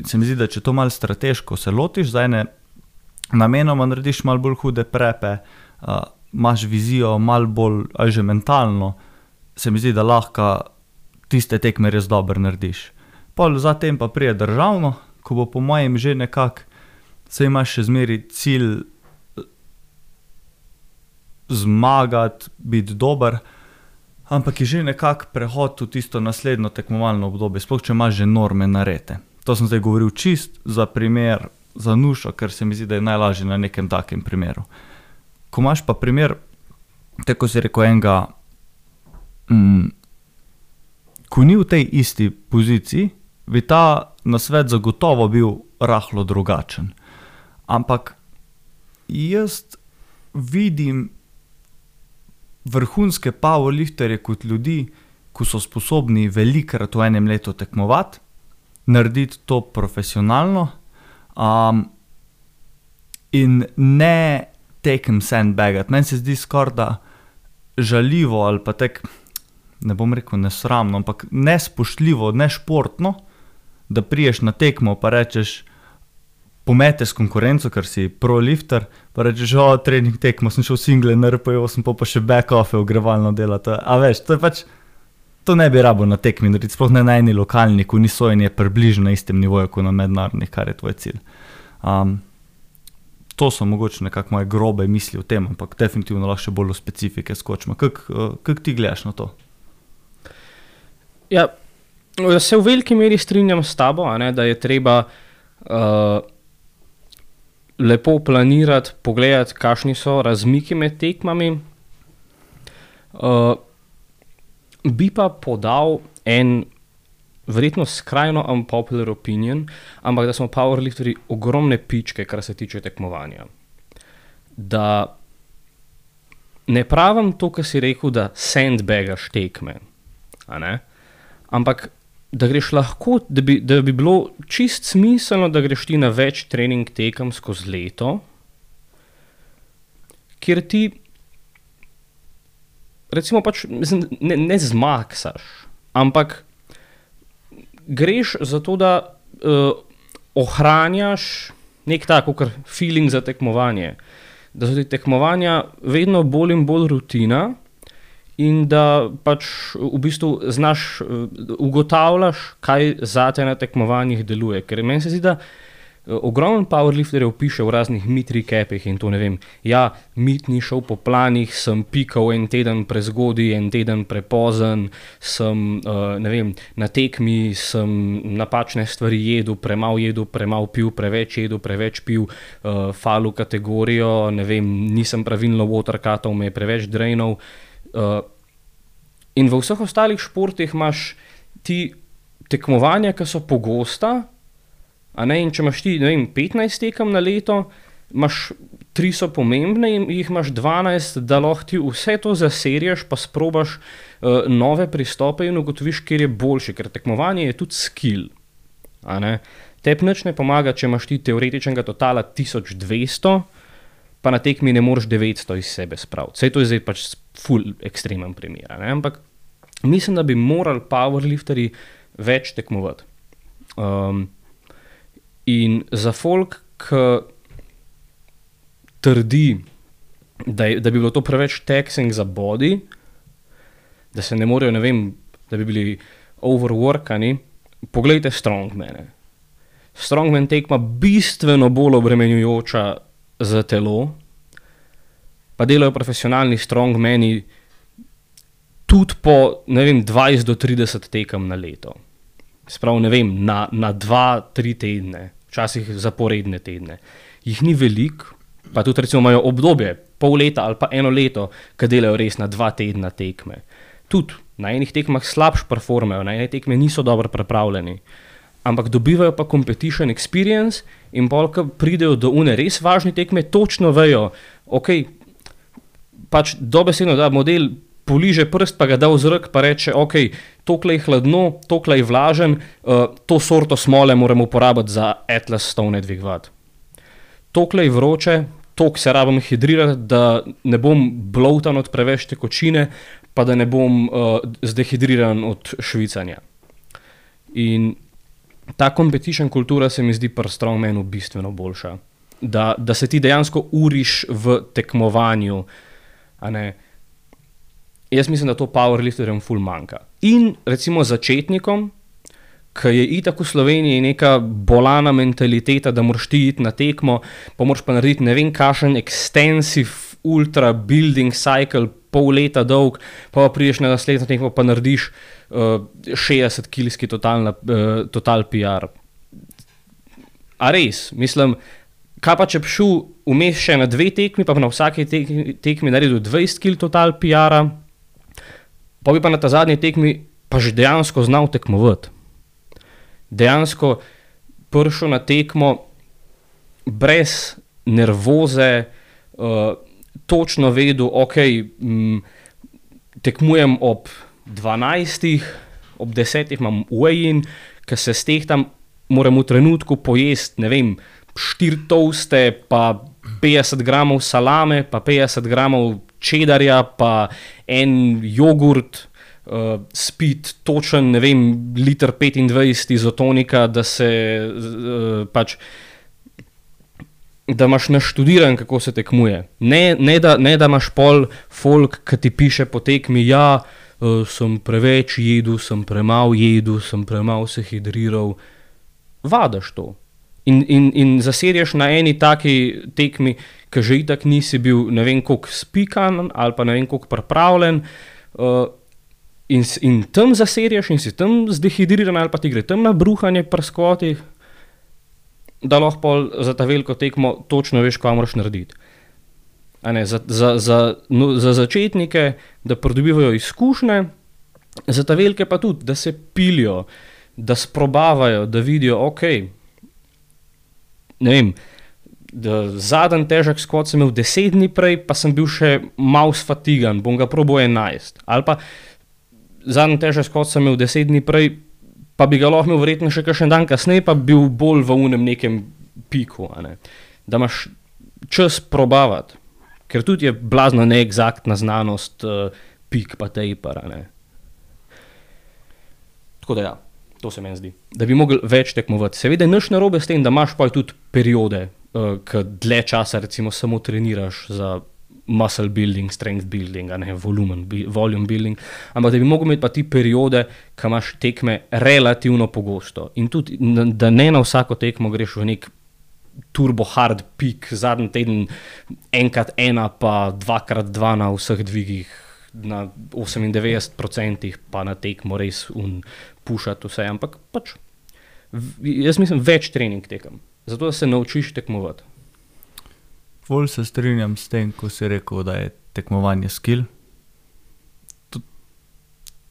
Se mi zdi, da če to malo strateško se lotiš, za ene namenoma narediš malo bolj hude prepe, imaš vizijo malo bolj, ali že mentalno, se mi zdi, da lahko tiste tekme res dobro narediš. Pol zatem pa prije državno, ko bo po mojem že nekako, saj imaš še zmeri cilj zmagati, biti dober, ampak je že nekako prehod v tisto naslednjo tekmovalno obdobje, sploh če imaš že norme narete. To sem zdaj govoril čist za primer za Nušo, ker se mi zdi, da je najlažje na nekem takem primeru. Ko imaš pa primer, tako si rekel enega, ko ni v tej isti poziciji, bi ta nasvet zagotovo bil rahlo drugačen. Ampak jaz vidim vrhunske powerlifterje kot ljudi, ko so sposobni velikrat v enem letu tekmovati, narediti to profesionalno in ne tekem sandbagati. Meni se zdi skorda žaljivo ali pa tek, ne bom rekel nesramno, ampak nespoštljivo, nešportno, da priješ na tekmo pa rečeš, pomete s konkurenco, ker si pro-lifter, pa rečeš, trening tekmo, sem šel single, NRP-jo sem pa še back-offe ogrevalno delati. A veš, to je pač, to ne bi rabo na tekmi narediti, sploh ne na eni lokalni, ko ni sojenje približno na istem nivoju, kot na mednarodnih, kar je tvoj cilj. To so mogoče nekako moje grobe misli o tem, ampak definitivno lahko še bolj v specifike skočimo. Kak ti gledaš na to? Ja, se v veliki meri strinjam s tabo, da je treba lepo planirati, pogledati, kakšni so razmiki med tekmami. Bi pa podal en verjetno skrajno unpopular opinion, ampak da smo powerlifterji ogromne pičke, kar se tiče tekmovanja. Da ne pravim to, kar si rekel, da sandbagaš tekme, a ne? Ampak da greš lahko, da bi bilo čist smiselno, da greš ti na več trening tekem skozi leto, kjer ti recimo pač ne zmaksaš, ampak greš zato, da ohranjaš nek tak feeling za tekmovanje, da so ti tekmovanja vedno bolj in bolj rutina in da pač v bistvu ugotavljaš, kaj zate na tekmovanjih deluje. Ker meni se zdi, da ogromno powerlifterjev piše v raznih meet recapih in to ne vem, ja, meet ni šel po planih, sem pikal en teden prezgodaj, en teden prepozen, sem, ne vem, na tekmi sem napačne stvari jedel, premalo pil, preveč jedel, preveč pil, falil kategorijo, ne vem, nisem pravilno watercutal, me je preveč drainal. In v vseh ostalih športih imaš ti tekmovanja, ki so pogosta, a ne, in če imaš ti, ne vem, 15 tekem na leto, imaš 3 so pomembne in jih imaš 12, da lahko ti vse to zaserješ, pa sprobaš nove pristope in ugotoviš, kjer je boljši, ker tekmovanje je tudi skill, a ne. Tebi nič ne pomaga, če imaš ti teoretičnega totala 1200, pa na tekmi ne moreš 900 iz sebe spraviti. Sej to je zdaj pač ful ekstremen primer, ne? Ampak mislim, da bi morali powerlifterji več tekmovati. In za folk, ki trdi, da bi bilo to preveč taxing za body, da se ne morejo, ne vem, da bi bili overworkani, poglejte strongmane. Strongman tekma bistveno bolj obremenjujoča za telo, pa delajo profesionalni strongmani tudi po, ne vem, 20 do 30 tekem na leto. Sprav, ne vem, na 2-3 tedne, včasih zaporedne tedne. Jih ni veliko, pa tudi recimo imajo obdobje, pol leta ali pa 1 leto, ki delajo res na 2 tedna tekme. Tudi na enih tekmah slabš performajo, na enih tekme niso dobro pripravljeni, ampak dobivajo pa competition experience in pol, ko pridejo do une res važne tekme, točno vejo, ok, pač dobesedno da model poliže prst, pa ga da v zrak, pa reče, ok, tokle je hladno, tokle je vlažen, to sorto smole moramo uporabiti za Atlas stone dvigovati. Tokle je vroče, tok se rabim hidrirati, da ne bom bloatan od preveč tekočine, pa da ne bom zdehidriran od švicanja. In ta competition kultura se mi zdi pri strongmanu bistveno boljša. Da se ti dejansko uriš v tekmovanju, a ne. Jaz mislim, da to powerlifterjem ful manjka. In recimo začetnikom, ki je itak v Sloveniji neka bolana mentaliteta, da moraš ti iti na tekmo, pa moraš pa narediti ne vem kakšen extensive ultra building cycle, pol leta dolg, pa prideš na naslednjo tekmo, pa narediš 60 kilski total PR. A res, mislim, kaj pa če bi šel vmes še na 2 tekmi, pa na vsaki tekmi naredil 20 kil total PR-a, pa bi pa na ta zadnji tekmi pa že dejansko znal tekmovati. Dejansko prišel na tekmo brez nervoze, točno vedel, ok, tekmujem ob 12, ob 10 imam weigh-in, ker se stehtam, moram v trenutku pojesti, ne vem, 4 toaste, pa 50 gramov salame, pa 50 gramov čedarja, pa en jogurt, spit točen, ne vem, liter 25 izotonika, da se pač, da imaš naštudiran, kako se tekmuje. Ne da imaš pol folk, ki ti piše po tekmi, ja, sem preveč jedel, sem premalo jedel, sem premalo se hidriral. Vadaš to. In zaserješ na eni taki tekmi, ki že itak nisi bil ne vem koliko spikan ali pa ne vem koliko pripravljen, in tam zaserješ in si tam zdehidriran ali pa ti gre tam na bruhanje pri skvotih. da lahko pol za ta veliko tekmo točno veš, kaj moraš narediti. A ne, za začetnike, da pridobivajo izkušnje, za ta velike pa tudi, da se pilijo, da sprobavajo, da vidijo, ok, ne vem, zadnji težek skot sem imel 10 dni prej, pa sem bil še malo sfatigan, bom ga probal 11. Ali pa zadnji težek skot sem imel 10 dni prej, pa bi ga lahko imel verjetno še kakšen dan kasneje, pa bil bolj v unem nekem piku, a ne. Da imaš čas probavati, ker tudi je blazno neexaktna znanost pik pa taper, a ne. Tako da ja, to se meni zdi. Da bi mogli več tekmovati. Seveda nič narobe s tem, da imaš pa tudi periode, ki dlje časa recimo samo treniraš za muscle building, strength building, a ne volume building, ampak da bi mogel imeti pa ti periode, ki imaš tekme relativno pogosto. In tudi, da ne na vsako tekmo greš v nek turbo hard peak, zadnji teden 1x1 pa 2x2 na vseh dvigih, na 98% pa na tekmo res pušati vse, ampak pač jaz mislim več trening tekem, zato da se naučiš tekmovati. Bolj se strinjam s tem, ko si rekel, da je tekmovanje skill. Tudi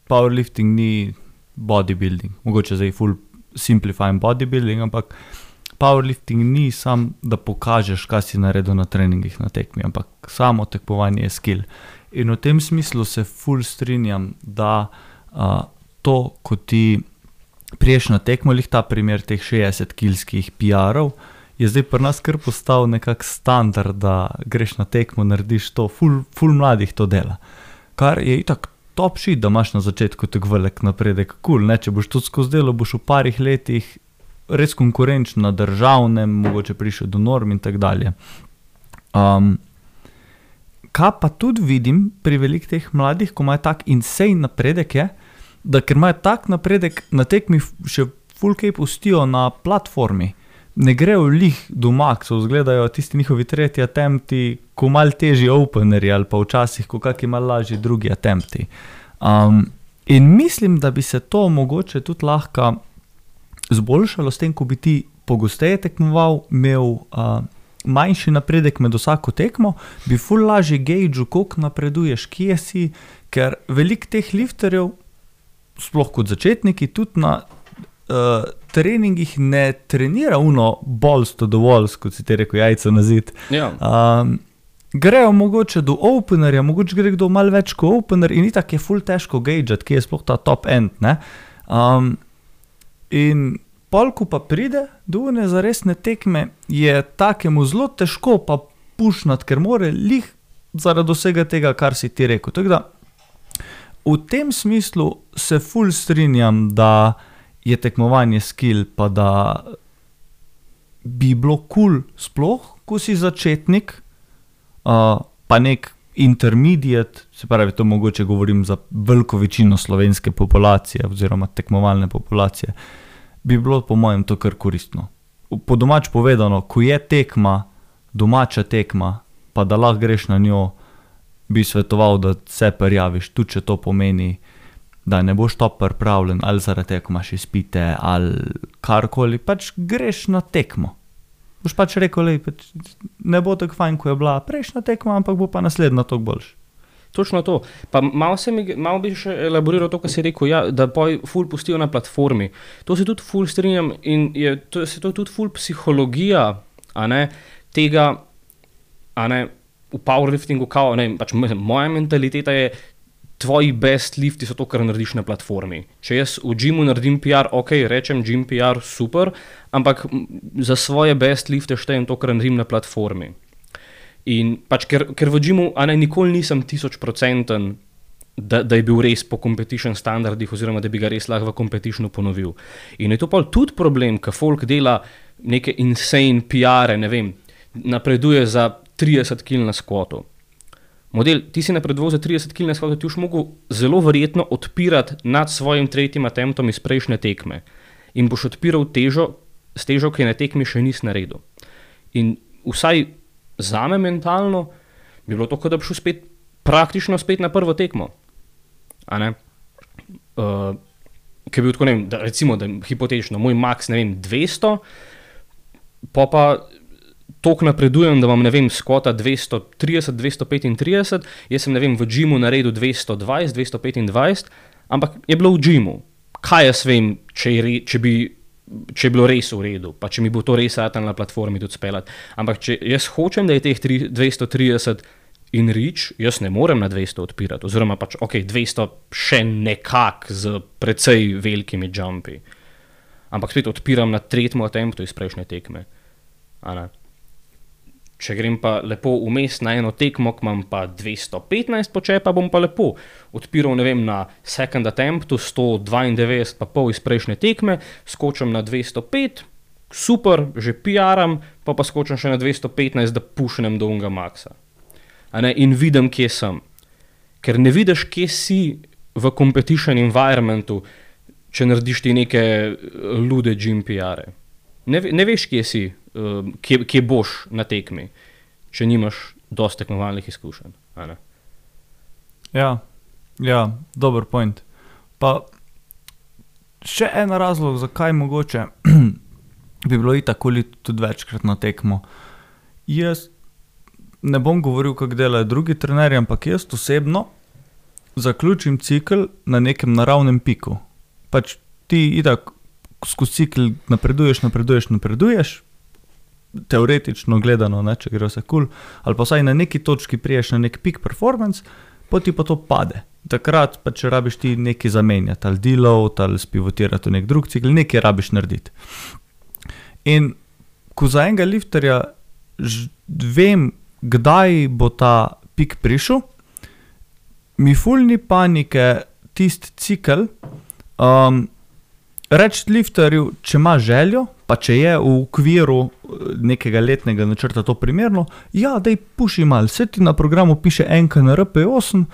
powerlifting ni bodybuilding, mogoče zdaj full simplifying bodybuilding, ampak powerlifting ni sam, da pokažeš, kaj si naredil na treningih na tekmi, ampak samo tekmovanje je skill. In v tem smislu se full strinjam, da to, ko ti priješ na tekmo, ta primer teh 60-kilskih PR-ov, je zdaj pri nas kar postal nekak standard, da greš na tekmo, narediš to, full mladih to dela. Kar je itak top shit, da imaš na začetku tak velik napredek, cool, ne, če boš to skozi delo, boš v parih letih res konkurenčen na državnem, mogoče prišel do norm in tak dalje. Kaj pa tudi vidim pri velik teh mladih, ko imajo tak insane napredek je, da ker imajo tak napredek na tekmi še full kaj pustijo na platformi, ne grejo lih do maksov, zgledajo tisti njihovi tretji attempti, ko malo težji openerji ali pa včasih, ko kaki malo lažji drugi attempti. In mislim, da bi se to mogoče tudi lahko zboljšalo s tem, ko bi ti pogosteje tekmoval, imel manjši napredek med vsako tekmo, bi ful lažje gauge, koliko napreduješ, kje si, ker veliko teh lifterjev, sploh kot začetniki, tudi na treningih ne trenira balls to the walls, kot si ti rekel, jajca na zid. Ja. Grejo mogoče do openerja, mogoče gre kdo malo več kot opener in itak je ful težko gaugeati, kje je sploh ta top end, ne. In pol, ko pa pride do one zaresne tekme, je takemu zelo težko pa pušnati, ker more lih zaradi vsega tega, kar si ti rekel. Tako da, v tem smislu se ful strinjam, da je tekmovanje skill, pa da bi bilo cool sploh, ko si začetnik, pa nek intermediate, se pravi, to mogoče govorim za veliko večino slovenske populacije oziroma tekmovalne populacije, bi bilo po mojem to kar koristno. Po domač povedano, ko je tekma, domača tekma, pa da lahko greš na njo, bi svetoval, da se prijaviš, tudi če to pomeni, da ne boš top pripravljen, ali zaradi tega, ko imaš izpite, ali karkoli, pač greš na tekmo. Boš pač rekel, pač ne bo tako fajn, ko je bila prejšnja tekma, ampak bo pa naslednja toliko boljša. Točno to. Pa malo bi še elaboriral to, kar si rekel, ja, da ful pustijo na platformi. To se tudi ful strinjam in je to tudi ful psihologija, a ne, tega, a ne, v powerliftingu, kao, ne, pač moja mentaliteta je, tvoji best lifti so to, kar narediš na platformi. Če jaz v gymu naredim PR, ok, rečem gym PR, super, ampak za svoje best lifte štejem to, kar naredim na platformi. In pač, ker v gymu nikoli nisem 1000%, da je bil res po competition standardih, oziroma da bi ga res lahko v competitionu ponovil. In je to pa tudi problem, ker folk dela neke insane PR-e, ne vem, napreduje za 30 kg na squatu. Model, ti si napredoval za 30 kg na squatu, ti už mogel zelo verjetno odpirati nad svojim tretjim attemptom iz prejšnje tekme. In boš odpiral s težo, ki je na tekmi še nisi naredil. In vsaj zame mentalno bi bilo to, kot da bi šel praktično spet na prvo tekmo. A ne? Ker bi bil tako, ne vem, recimo, da hipotetično, moj max, ne vem, 200, pa toliko napredujem, da imam, ne vem, skota 230, 235, jaz sem, ne vem, v gymu naredil 220, 225, ampak je bilo v gymu. Kaj jaz vem, če je bilo res v redu, pa če mi bo to res ratalo na platformi tudi speljati. Ampak če jaz hočem, da je teh 230 in reach, jaz ne morem na 200 odpirati, oziroma pač, 200 še nekak z precej velikimi jumpi. Ampak spet odpiram na tretjem attemptu iz prejšnje tekme. Če grem pa lepo vmes na eno tekmo, ki imam pa 215 počepa, bom pa lepo odpiral, ne vem, na second attemptu 192 pa pol iz prejšnje tekme, skočim na 205, super, že PR-am, pa skočim še na 215, da pušnem do unga maksa. In vidim, kje sem. Ker ne vidiš, kje si v competition environmentu, če narediš ti neke lude gym PR-e. Ne veš, kje si, kje boš na tekmi, če nimaš dosti tekmovalnih izkušenj. Ja, dober point. Pa še en razlog, zakaj mogoče bi bilo itak tudi večkrat na tekmo. Jaz ne bom govoril, kako delajo drugi trenerji, ampak jaz osebno zaključim cikel na nekem naravnem piku. Pač ti itak skozi cikl napreduješ, teoretično gledano, če gre vse cool, ali pa vsaj na neki točki priješ na nek peak performance, poti pa to pade. Takrat pa če rabiš ti nekaj zamenjati, ali deload, ali spivotirati v nek drug cikl, nekaj rabiš narediti. In ko za enega lifterja vem, kdaj bo ta pik prišel, mi ful ni panike tisti cikl, reči lifterju, če ima željo, pa če je v okviru nekega letnega načrta to primerno, ja, daj puši malo, se ti na programu piše enka na RP8,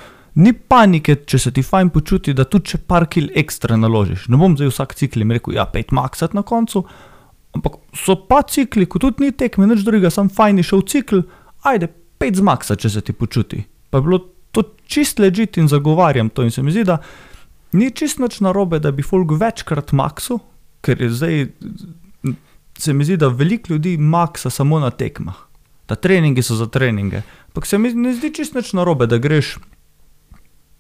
ni panike, če se ti fajn počuti, da tudi če par kil ekstra naložiš. Ne bom zdaj vsak cikl im rekel, ja, 5 maksat na koncu, ampak so pa cikli, ko tudi ni tekme, nič drugega, sam fajn je šel cikl, ajde, 5 zmaksat, če se ti počuti. Pa je bilo to čist legit in zagovarjam to in se mi zdi, da ni čist nič narobe, da bi folk večkrat maksu, ker je zdaj, se mi zdi, da veliko ljudi maksa samo na tekmah. Da treningi so za treninge. Ampak se mi ne zdi čist nič narobe, da greš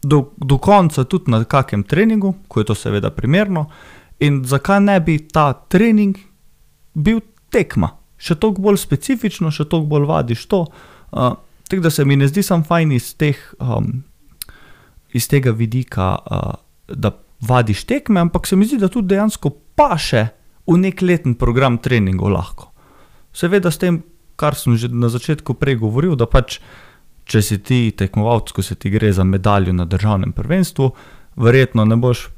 do konca tudi na kakem treningu, ko je to seveda primerno, in zakaj ne bi ta trening bil tekma. Še toliko bolj specifično, še toliko bolj vadiš to. Tako da se mi ne zdi sam fajn iz tega vidika, da vadiš tekme, ampak se mi zdi, da tudi dejansko paše v nek leten program treningov lahko. Seveda s tem, kar sem že na začetku prej govoril, da pač, če si ti tekmovalec, ko se ti gre za medaljo na državnem prvenstvu, verjetno ne boš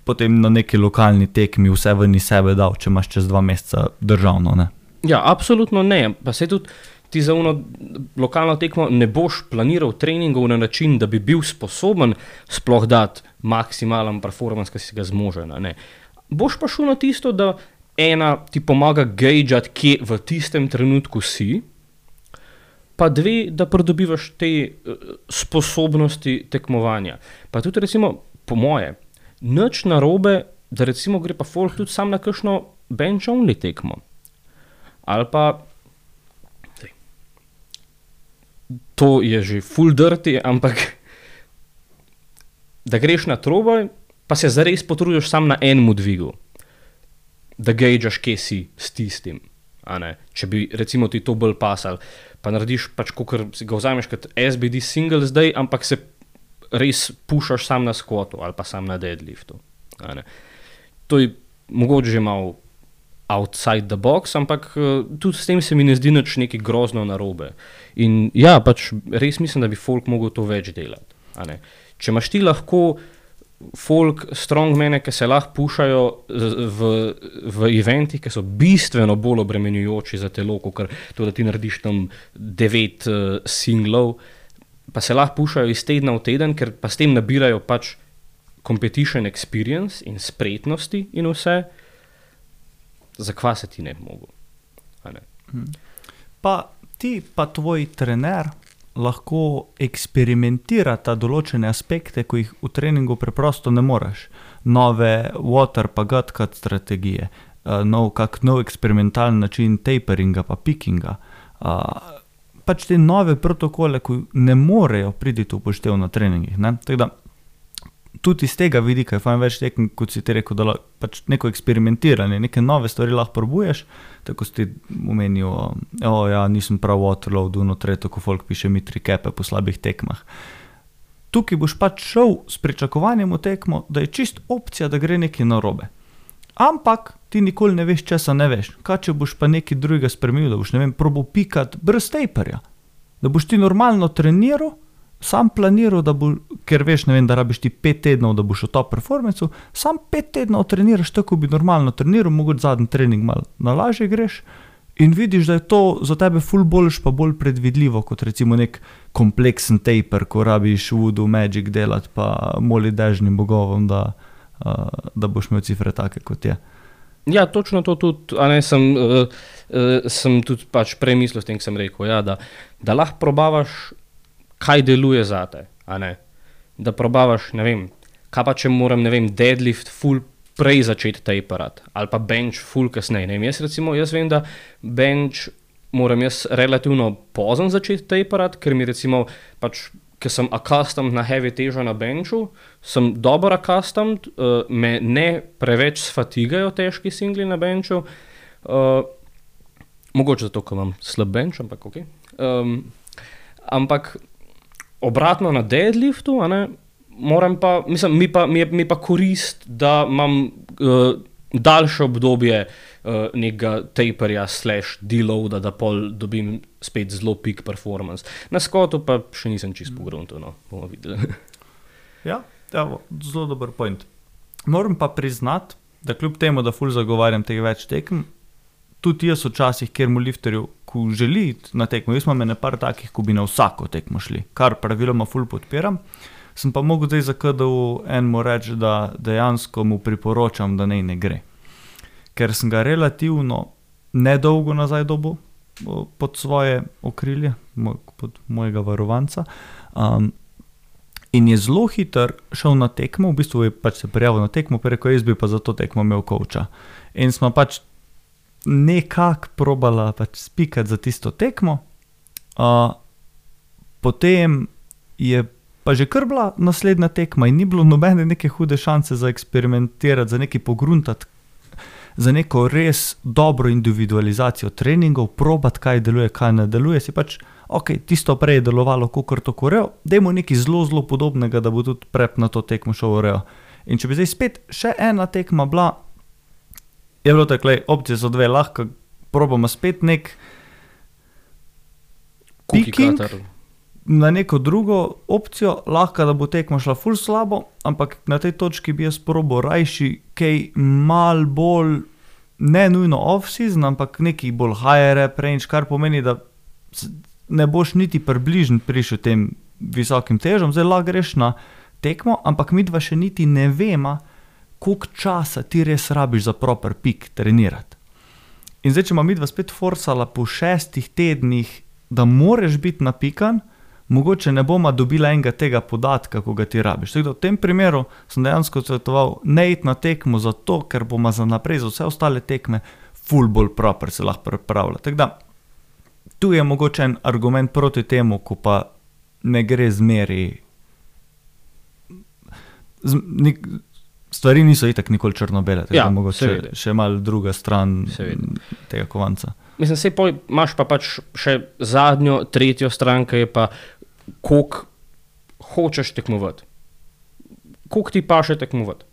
potem na neki lokalni tekmi vse ven iz sebe dal, če imaš čez 2 meseca državno, ne? Ja, absolutno ne, pa se tudi ti za lokalno tekmo ne boš planiral treningov na način, da bi bil sposoben sploh dati maksimalen performance, ki si ga zmožen. Ne. Boš pa šel na tisto, da ena ti pomaga gaugeati, kje v tistem trenutku si, pa 2, da pridobivaš te sposobnosti tekmovanja. Pa tudi recimo, po moje, nič narobe, da recimo gre pa folk tudi sam na kakšno bench only tekmo. Ali pa to je že full dirty, ampak da greš na troboj, pa se zares potrudiš sam na enem dvigu, da gaugeaš, kje si s tistim, a ne? Če bi recimo ti to bolj pasal, pa narediš pač, kakor si ga vzameš kot SBD single zdaj, ampak se res pušaš sam na squatu ali pa sam na deadliftu, a ne? To je mogoče že malo outside the box, ampak tudi s tem se mi ne zdi nič nekaj grozno narobe. In ja, pač res mislim, da bi folk mogel to več delati. A ne? Če imaš ti lahko folk strongmene, ki se lahko pušajo v eventih, ki so bistveno bolj obremenjujoči za telo, kot to, da ti narediš tam 9 singlov, pa se lahko pušajo iz tedna v teden, ker pa s tem nabirajo pač competition experience in spretnosti in vse, zakva se ti ne bi mogel. Pa ti pa tvoj trener lahko eksperimentirata določene aspekte, ko jih v treningu preprosto ne moreš. Nove water pa gut cut strategije, nov eksperimentalen način taperinga pa pickinga. Pač te nove protokole, ki ne morejo priti v upoštev na treningih, ne. Tako da tudi iz tega vidika je fajn več tekem, kot si ti rekel, da pač neko eksperimentiranje, neke nove stvari lahko probuješ, tako si ti omenil, nisem prav waterload, tretjo, ko folk piše mi 3 kepe po slabih tekmah. Tukaj boš pač šel s pričakovanjem v tekmo, da je čist opcija, da gre nekaj narobe. Ampak ti nikoli ne veš, česa ne veš. Kaj če boš pa nekaj drugega spremenil, da boš, probal pikati brez taperja, da boš ti normalno treniral, sam planiral, ker veš, da rabiš ti 5 tednov, da boš v top performancu, sam 5 tednov treniraš tako, bi normalno treniral, mogoče zadnji trening malo na lažje greš in vidiš, da je to za tebe ful boljš pa bolj predvidljivo, kot recimo nek kompleksen taper, ko rabiš voodoo magic delati pa moli dežnim bogovom, da boš imel cifre take, kot je. Ja, točno to tudi, sem tudi pač premislil s tem, ki sem rekel, da lahko probavaš, kaj deluje zate, Da probavaš, kaj pa če moram, deadlift ful prej začeti taperati, ali pa bench ful kasneje, Jaz vem, da bench moram jaz relativno pozno začeti taperati, ker mi recimo pač, ker sem accustomed na heavy težo na benchu, sem dobro accustomed, me ne preveč sfatigajo težki singli na benchu, mogoče zato, ker imam slab bench, ampak okej. Ampak obratno na deadliftu, moram pa, mi pa korist, da imam daljše obdobje nekega taperja / deloada, da pol dobim spet zelo peak performance. Na skotu pa še nisem čisto pogruntal, bomo videli. Ja, zelo dober point. Moram pa priznati, da kljub temu, da ful zagovarjam teh več tekem, tudi jaz včasih, kjer mu lifterju, ko želi na tekmo, jaz imam par takih, ko bi na vsako tekmo šli, kar praviloma ful podpiram, sem pa mogel zdaj za KDU enemu reči, da dejansko mu priporočam, da ne gre. Ker sem ga relativno nedolgo nazaj dobil pod svoje okrilje, pod mojega varovanca, in je zelo hiter šel na tekmo, v bistvu je pač se prijavil na tekmo, pa rekel, jaz bi pa za to tekmo imel coacha. In smo pač nekako probala pač spikati za tisto tekmo, potem je pa že kar bila naslednja tekma in ni bilo nobene neke hude šanse za eksperimentirati, za nekaj pogruntati, za neko res dobro individualizacijo treningov, probati, kaj deluje, kaj ne deluje, si pač, tisto prej je delovalo kakor to koreo, dajmo nekaj zelo, zelo podobnega, da bo tudi prep na to tekmo šel v reo. In če bi zdaj spet še ena tekma bila, je bilo tako, opcije so dve, lahko probamo spet nek picking na neko drugo opcijo, lahko da bo tekma šla ful slabo, ampak na tej točki bi jaz probal rajši kaj mal bolj, ne nujno off-season, ampak neki bolj high rep range, kar pomeni, da ne boš niti približno prišel tem visokim težam, zdaj lahko greš na tekmo, ampak midva še niti ne vema, koliko časa ti res rabiš za proper peak trenirati. In zdaj, če ima midva spet forsala po 6 tednih, da moreš biti napikan, mogoče ne boma dobila enega tega podatka, ko ga ti rabiš. Tako da v tem primeru sem dejansko svetoval ne iti na tekmo zato, ker boma za naprej za vse ostale tekme ful bolj proper se lahko pripravlja. Tako da tu je mogoče en argument proti temu, ko pa ne gre zmeri. Stvari niso itak nikoli črno-bele, tako da mogoče še malo druga stran tega kovanca. Mislim, sej imaš pa pač še zadnjo, tretjo stran, ki je pa, koliko hočeš tekmovati. Koliko ti pa še tekmovati,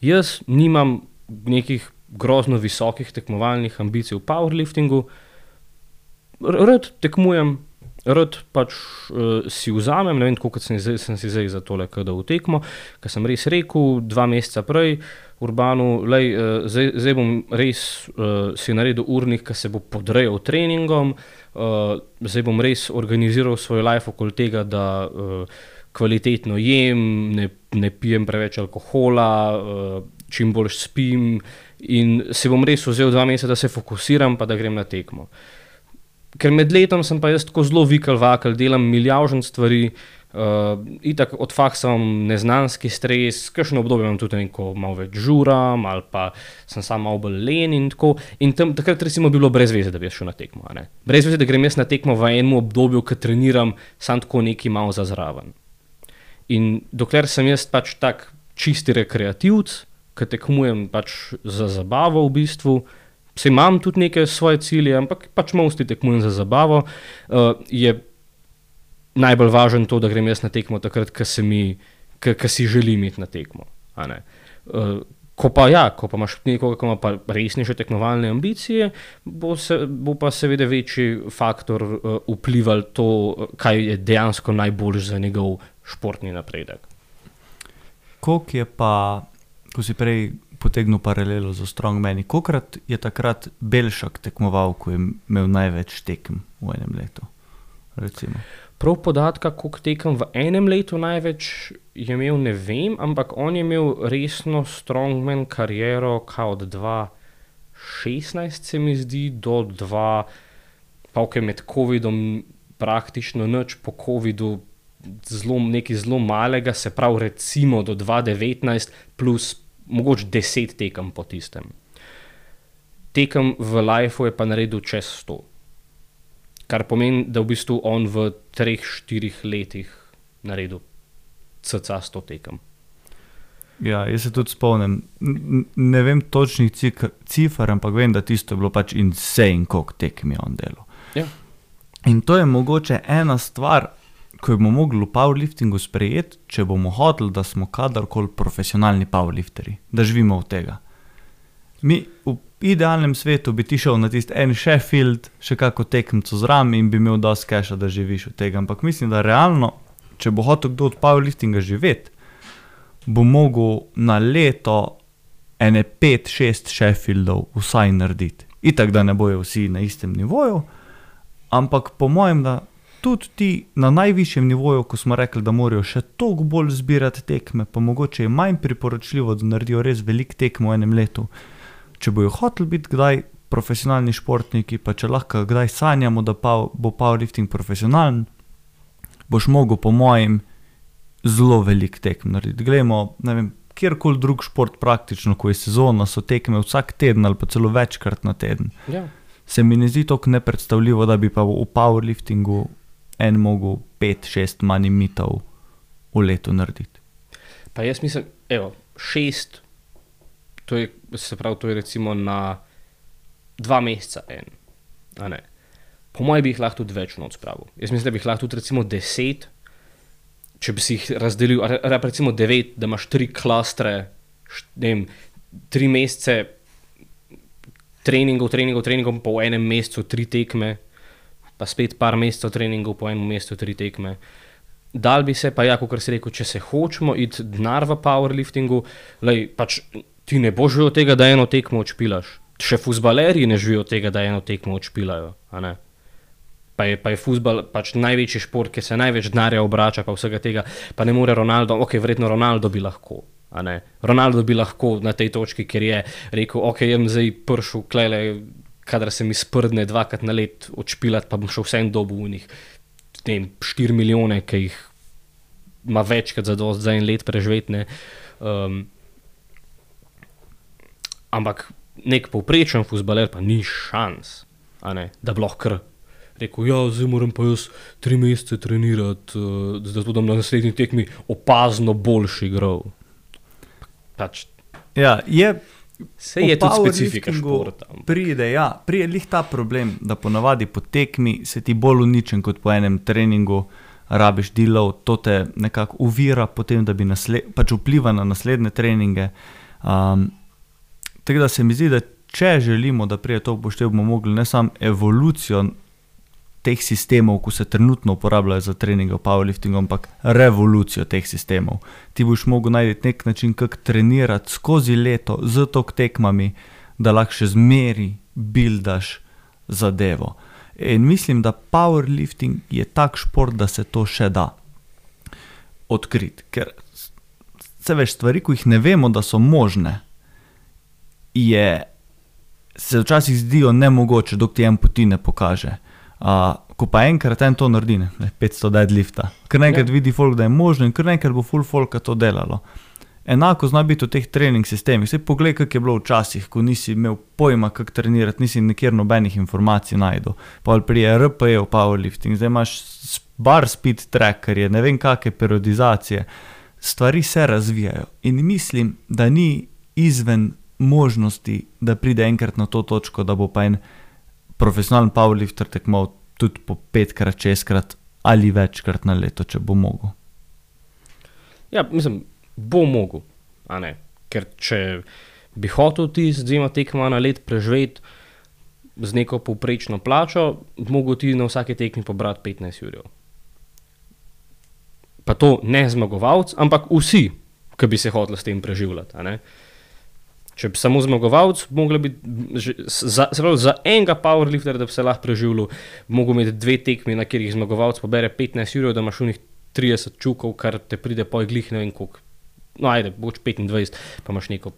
Jaz nimam nekih grozno visokih tekmovalnih ambicij v powerliftingu, rad tekmujem, rad pač si vzamem, ne vem, koliko sem si zdaj za tole KDU tekmo, ker sem res rekel 2 meseca prej Urbanu, zdaj bom res si naredil urnik, ki se bo podrejal treningom, zdaj bom res organiziral svoj life okoli tega, da kvalitetno jem, ne pijem preveč alkohola, čim bolj spim in si bom res vzel 2 meseca, da se fokusiram, pa da grem na tekmo. Ker med letom sem pa jaz tako zelo vikal-vakal, delam milijavžen stvari, Itak od faksa imam neznanski stres, kakšno obdobje imam tudi, ko malo več žuram, ali pa sem sam malo bolj len in tako. In takrat recimo bi bilo brez veze, da bi šel na tekmo. A ne? Brez veze, da grem jaz na tekmo v enem obdobju, ko treniram, sam tako neki malo za zraven. In dokler sem jaz pač tak čisti rekreativc, ki tekmujem pač za zabavo v bistvu, se imam tudi neke svoje cilje, ampak pač mostly tekmujem za zabavo, je najbolj važno to, da grem jaz na tekmo takrat, ko si želim iti na tekmo. A ne? Ko pa imaš nekoga, ki ima pa resnejše tekmovalne ambicije, bo pa seveda večji faktor vplival to, kaj je dejansko najboljše za njegov športni napredek. Koliko je pa, ko si prej potegnil paralelo za strongmani, kolikrat je takrat Belšak tekmoval, ko je imel največ tekem v enem letu? Recimo. Prav podatka, koliko tekem v enem letu največ je imel, ne vem, ampak on je imel resno strongman kariero od 2016 se mi zdi do pa med covidom praktično nič, po covidu nekaj zelo malega, se pravi recimo do 2019 plus mogoče 10 tekem po tistem. Tekem v lifeu je pa naredil čez 100. Kar pomeni, da v bistvu on v 3-4 letih naredil cca 100 tekem. Ja, jaz se tudi spomnim, ne vem točnih cifr, ampak vem, da tisto je bilo pač insane, koliko tekem je on delal. Ja. In to je mogoče ena stvar, ko bomo mogli v powerliftingu sprejeti, če bomo hoteli, da smo kadarkoli profesionalni powerlifteri, da živimo od tega. Mi v idealnem svetu bi ti šel na tisti en Sheffield, še kako tekmco zraven in bi imel dosti keša, da živiš od tega. Ampak mislim, da realno, če bo hotel kdo od powerliftinga živeti, bo mogel na leto ene 5-6 Sheffieldov vsaj narediti. Itak, da ne bojo vsi na istem nivoju, ampak po mojem, da tudi ti na najvišjem nivoju, ko smo rekli, da morajo še toliko bolj zbirati tekme, pa mogoče je manj priporočljivo, da naredijo res veliko tekmo v enem letu. Če bojo hoteli biti kdaj profesionalni športniki, pa če lahko kdaj sanjamo, da bo powerlifting profesionalen, boš mogel po mojem zelo velik tekem narediti. Glejmo, ne vem, kjerkoli drug šport praktično, ko je sezona, so tekme vsak teden ali pa celo večkrat na teden. Ja. Se mi ne zdi toliko nepredstavljivo, da bi pa v powerliftingu en mogel 5-6 manj mitov v letu narediti. Pa jaz mislim, 6, to je recimo na 2 meseca en. A ne. Po mojem bi jih lahko tudi več noc spravil. Jaz mislim, da bi jih lahko tudi recimo 10, če bi si jih razdelil, recimo 9, da imaš 3 klastre, ne vem, 3 mesece treningov, po enem mesecu 3 tekme, pa spet par mesecev treningov, po enem mesecu 3 tekme. Dal bi se, pa kot si rekel, če se hočemo iti denar v powerliftingu, pač ti ne boš živel od tega, da eno tekmo odšpilaš. Še fuzbalerji ne živijo od tega, da eno tekmo odšpilajo. A ne? Pa je fuzbal pač največji šport, ki se največ denarja obrača, pa vsega tega, pa ne more Ronaldo, verjetno Ronaldo bi lahko. A ne? Ronaldo bi lahko na tej točki, kjer je rekel, jem zdaj pršel klele, kadar se mi sprdne 2krat na let odšpilati, pa bom šel vsem dobu v njih, 4 milijone, ki jih ima večkrat zadost za en let preživeti. Ampak nek povprečen fuzbaler pa ni šans, da bi lahko rekel, zdaj moram pa jaz 3 mesece trenirati, da bom na naslednji tekmi opazno boljši igral. Pač, ja, je tudi specifika športa. Pride lih ta problem, da ponavadi po tekmi se ti bolj uničen kot po enem treningu, rabiš delov, to te nekako uvira potem, da bi pač vpliva na naslednje treninge. Tako da se mi zdi, da če želimo, da prije to upoštev, bomo mogli ne samo evolucijo teh sistemov, ko se trenutno uporabljajo za treninge v powerliftingu, ampak revolucijo teh sistemov. Ti boš mogel najti nek način, kako trenirati skozi leto z tok tekmami, da lahko še zmeri buildaš zadevo. In mislim, da powerlifting je tak šport, da se to še da odkriti. Ker se veš stvari, ko jih ne vemo, da so možne, se včasih zdijo nemogoče, dok ti en poti ne pokaže. Ko pa enkrat en to naredi, 500 deadlifta, ker enkrat vidi folk, da je možno in ker enkrat bo full folka to delalo. Enako zna biti v teh trening sistemih. Saj poglej, kako je bilo včasih, ko nisi imel pojma, kako trenirati, nisi nikjer nobenih informacij najdel. Pol prije RPE v powerlifting, zdaj imaš bar speed trackerje, ne vem kakve periodizacije. Stvari se razvijajo in mislim, da ni izven možnosti, da pride enkrat na to točko, da bo pa en profesionalen powerlifter tekmoval tudi po 5-krat, 6-krat ali večkrat na leto, če bo mogel. Ja, mislim, bo mogel, a ne? Ker če bi hotel ti z 2 tekmama na let preživeti z neko povprečno plačo, mogel ti na vsaki tekmi pobrati 15 jurjev. Pa to ne zmagovalc, ampak vsi, ki bi se hoteli s tem preživljati, a ne? Če bi samo zmagovalc, mogla biti za enega powerliftera, da bi se lahko preživljal, mogel imeti 2 tekmi, na kjer zmagovalc pobere 15 jurjev, da imaš unih 30 čukov, kar te pride po glih, ne vem koliko. No, ajde, boč 25, pa imaš neko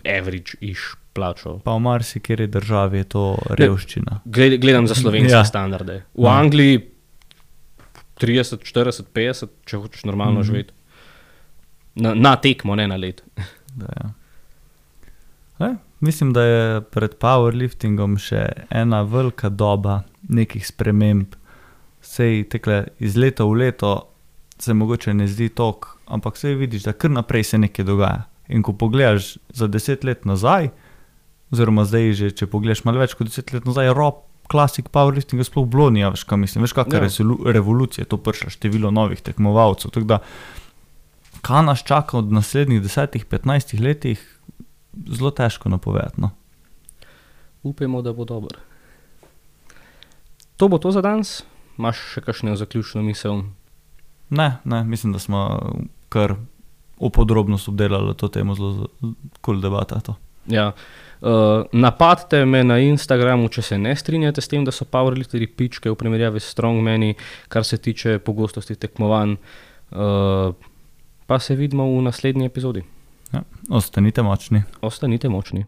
average-ish plačo. Pa v marsikeri državi je to revščina. Gledam za slovenske standarde. V Angliji 30, 40, 50, če hočeš normalno živeti. Na tekmo, ne na let. Mislim, da je pred powerliftingom še ena velika doba nekih sprememb. Sej tekle iz leta v leto se mogoče ne zdi toliko, ampak sej vidiš, da kar naprej se nekaj dogaja. In ko pogledaš za 10 let nazaj, oziroma zdaj že, če pogledaš malo več kot 10 let nazaj, klasik powerliftinga sploh bilo ni, veš kakva revolucija, to prša število novih tekmovalcev. Tako da, kaj nas čaka od naslednjih 10-15 letih, zelo težko napovedati, no. Upajmo, da bo dobro. To bo to za danes? Imaš še kakšno zaključno misel? Ne, mislim, da smo kar v podrobnost obdelali to temo, zelo cool debata to. Ja, napadte me na Instagramu, če se ne strinjate s tem, da so powerlifteri pičke v primerjavi s strongmani, kar se tiče pogostosti tekmovanj. Pa se vidimo v naslednji epizodi. Ja, ostanite močni. Ostanite močni.